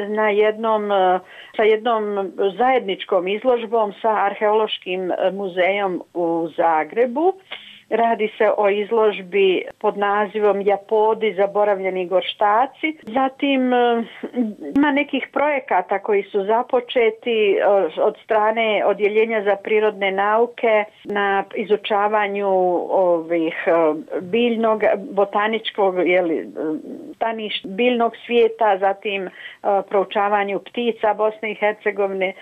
sa jednom zajedničkom izložbom sa Arheološkim muzejom u Zagrebu. Radi se o izložbi pod nazivom Japodi, zaboravljeni gorštaci. Zatim ima nekih projekata koji su započeti od strane odjeljenja za prirodne nauke na izučavanju biljnog, botaničkog, biljnog svijeta, zatim proučavanju ptica Bosne i Hercegovine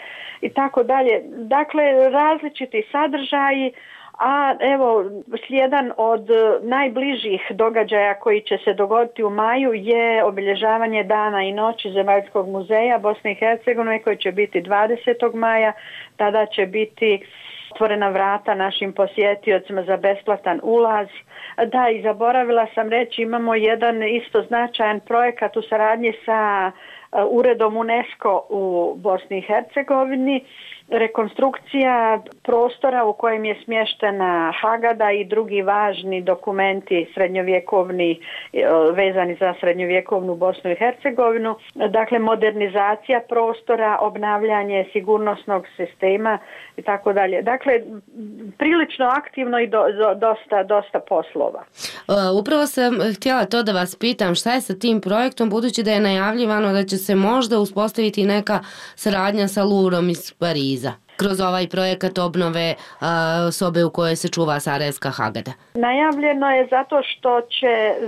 i tako dalje. Dakle, različiti sadržaji. A evo, slijedan od najbližih događaja koji će se dogoditi u maju je obilježavanje Dana i noći Zemaljskog muzeja Bosne i Hercegovine koji će biti 20. maja. Tada će biti otvorena vrata našim posjetiocima za besplatan ulaz. Da, i zaboravila sam reći, imamo jedan isto značajan projekat u saradnji sa Uredom UNESCO u Bosni i Hercegovini, rekonstrukcija prostora u kojem je smještena Hagada i drugi važni dokumenti srednjovjekovni vezani za srednjovjekovnu Bosnu i Hercegovinu, dakle modernizacija prostora, obnavljanje sigurnosnog sistema i tako dalje. Dakle, prilično aktivno i dosta poslova. Upravo sam htjela to da vas pitam, šta je sa tim projektom, budući da je najavljivano da će se možda uspostaviti neka saradnja sa Louvrom iz Pariza kroz ovaj projekat obnove sobe u kojoj se čuva Sarajevska Hagada? Najavljeno je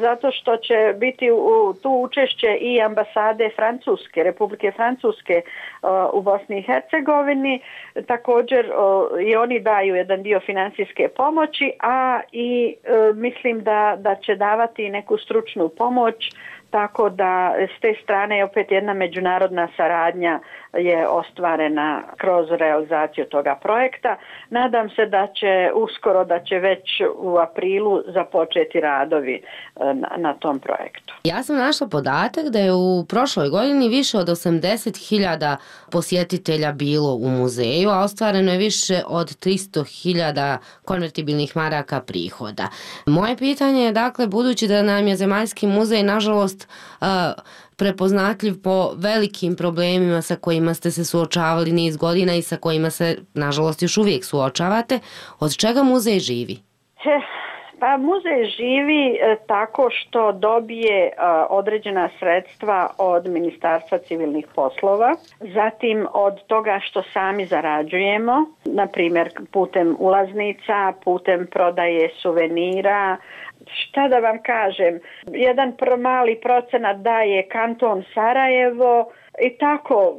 zato što će biti tu učešće i ambasade Republike Francuske u Bosni i Hercegovini. Također i oni daju jedan dio financijske pomoći, a i mislim da će davati neku stručnu pomoć, tako da s te strane opet jedna međunarodna saradnja je ostvarena kroz realizaciju toga projekta. Nadam se da će već u aprilu započeti radovi na tom projektu. Ja sam našla podatak da je u prošloj godini više od 80.000 posjetitelja bilo u muzeju, a ostvareno je više od 300.000 konvertibilnih maraka prihoda. Moje pitanje je, dakle, budući da nam je Zemaljski muzej nažalost prepoznatljiv po velikim problemima sa kojima ste se suočavali niz godina i sa kojima se nažalost još uvijek suočavate, od čega muzej živi? Pa muzej živi tako što dobije određena sredstva od Ministarstva civilnih poslova, zatim od toga što sami zarađujemo, na primjer putem ulaznica, putem prodaje suvenira. Šta da vam kažem, jedan mali procenat daje kanton Sarajevo i tako.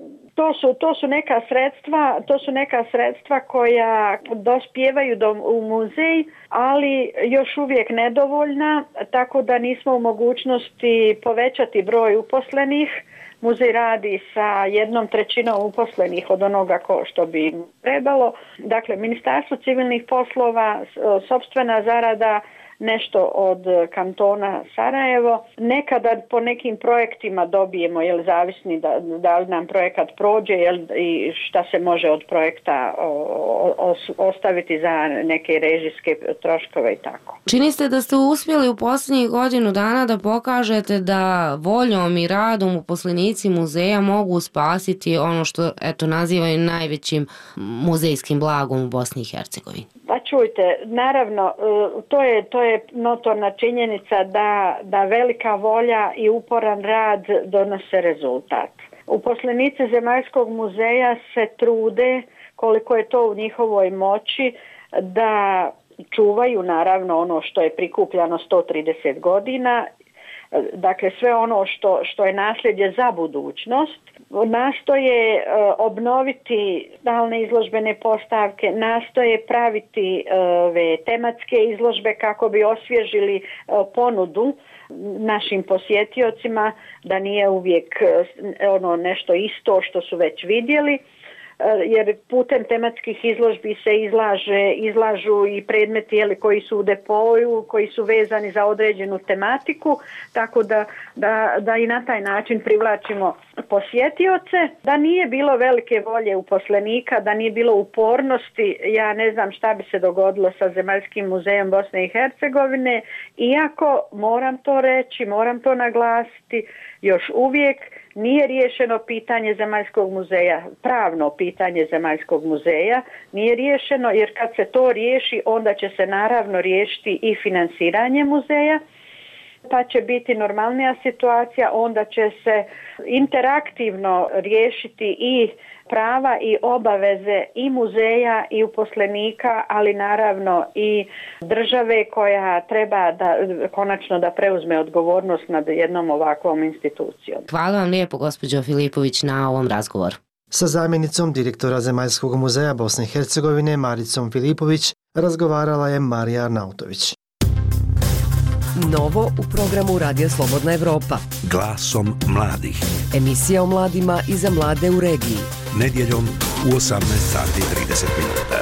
To su neka sredstva koja dospijevaju u muzej, ali još uvijek nedovoljna, tako da nismo u mogućnosti povećati broj uposlenih. Muzej radi sa 1/3 uposlenih od onoga što bi trebalo. Dakle, Ministarstvo civilnih poslova, sopstvena zarada, nešto od kantona Sarajevo. Nekada po nekim projektima dobijemo, zavisni da li nam projekat prođe i šta se može od projekta ostaviti za neke režijske troškove i tako. Čini se da ste uspjeli u posljednjih godinu dana da pokažete da voljom i radom uposlenici muzeja mogu spasiti ono što nazivaju najvećim muzejskim blagom u Bosni i Hercegovini. Pa čujte, naravno, to je notorna činjenica da velika volja i uporan rad donose rezultat. Uposlenici Zemaljskog muzeja se trude koliko je to u njihovoj moći da čuvaju naravno ono što je prikupljano 130 godina, dakle sve ono što je nasljeđe za budućnost. Nastoje obnoviti stalne izložbene postavke, nastoje praviti tematske izložbe kako bi osvježili ponudu našim posjetiocima, da nije uvijek nešto isto što su već vidjeli, jer putem tematskih izložbi se izlažu i predmeti koji su u depoju, koji su vezani za određenu tematiku, tako da i na taj način privlačimo posjetioce. Da nije bilo velike volje uposlenika, da nije bilo upornosti, ja ne znam šta bi se dogodilo sa Zemaljskim muzejom Bosne i Hercegovine, iako moram to reći, moram to naglasiti, još uvijek nije riješeno pitanje Zemaljskog muzeja, pravno pitanje Zemaljskog muzeja nije riješeno, jer kad se to riješi, onda će se naravno riješiti i finansiranje muzeja, pa će biti normalnija situacija, onda će se interaktivno riješiti i prava i obaveze i muzeja i uposlenika, ali naravno i države koja treba konačno da preuzme odgovornost nad jednom ovakvom institucijom. Hvala vam lijepo, gospođo Filipović, na ovom razgovoru. Sa zamjenicom direktora Zemaljskog muzeja Bosne i Hercegovine Maricom Filipović razgovarala je Marija Arnautović. Novo u programu Radija Slobodna Evropa. Glasom mladih. Emisija o mladima i za mlade u regiji. Nedjeljom u 18:30 minuta.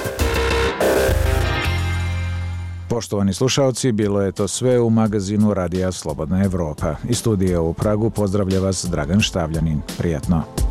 Poštovani slušaoci, bilo je to sve u magazinu Radija Slobodna Evropa. Iz studija u Pragu pozdravlja vas Dragan Štavljanin. Prijatno.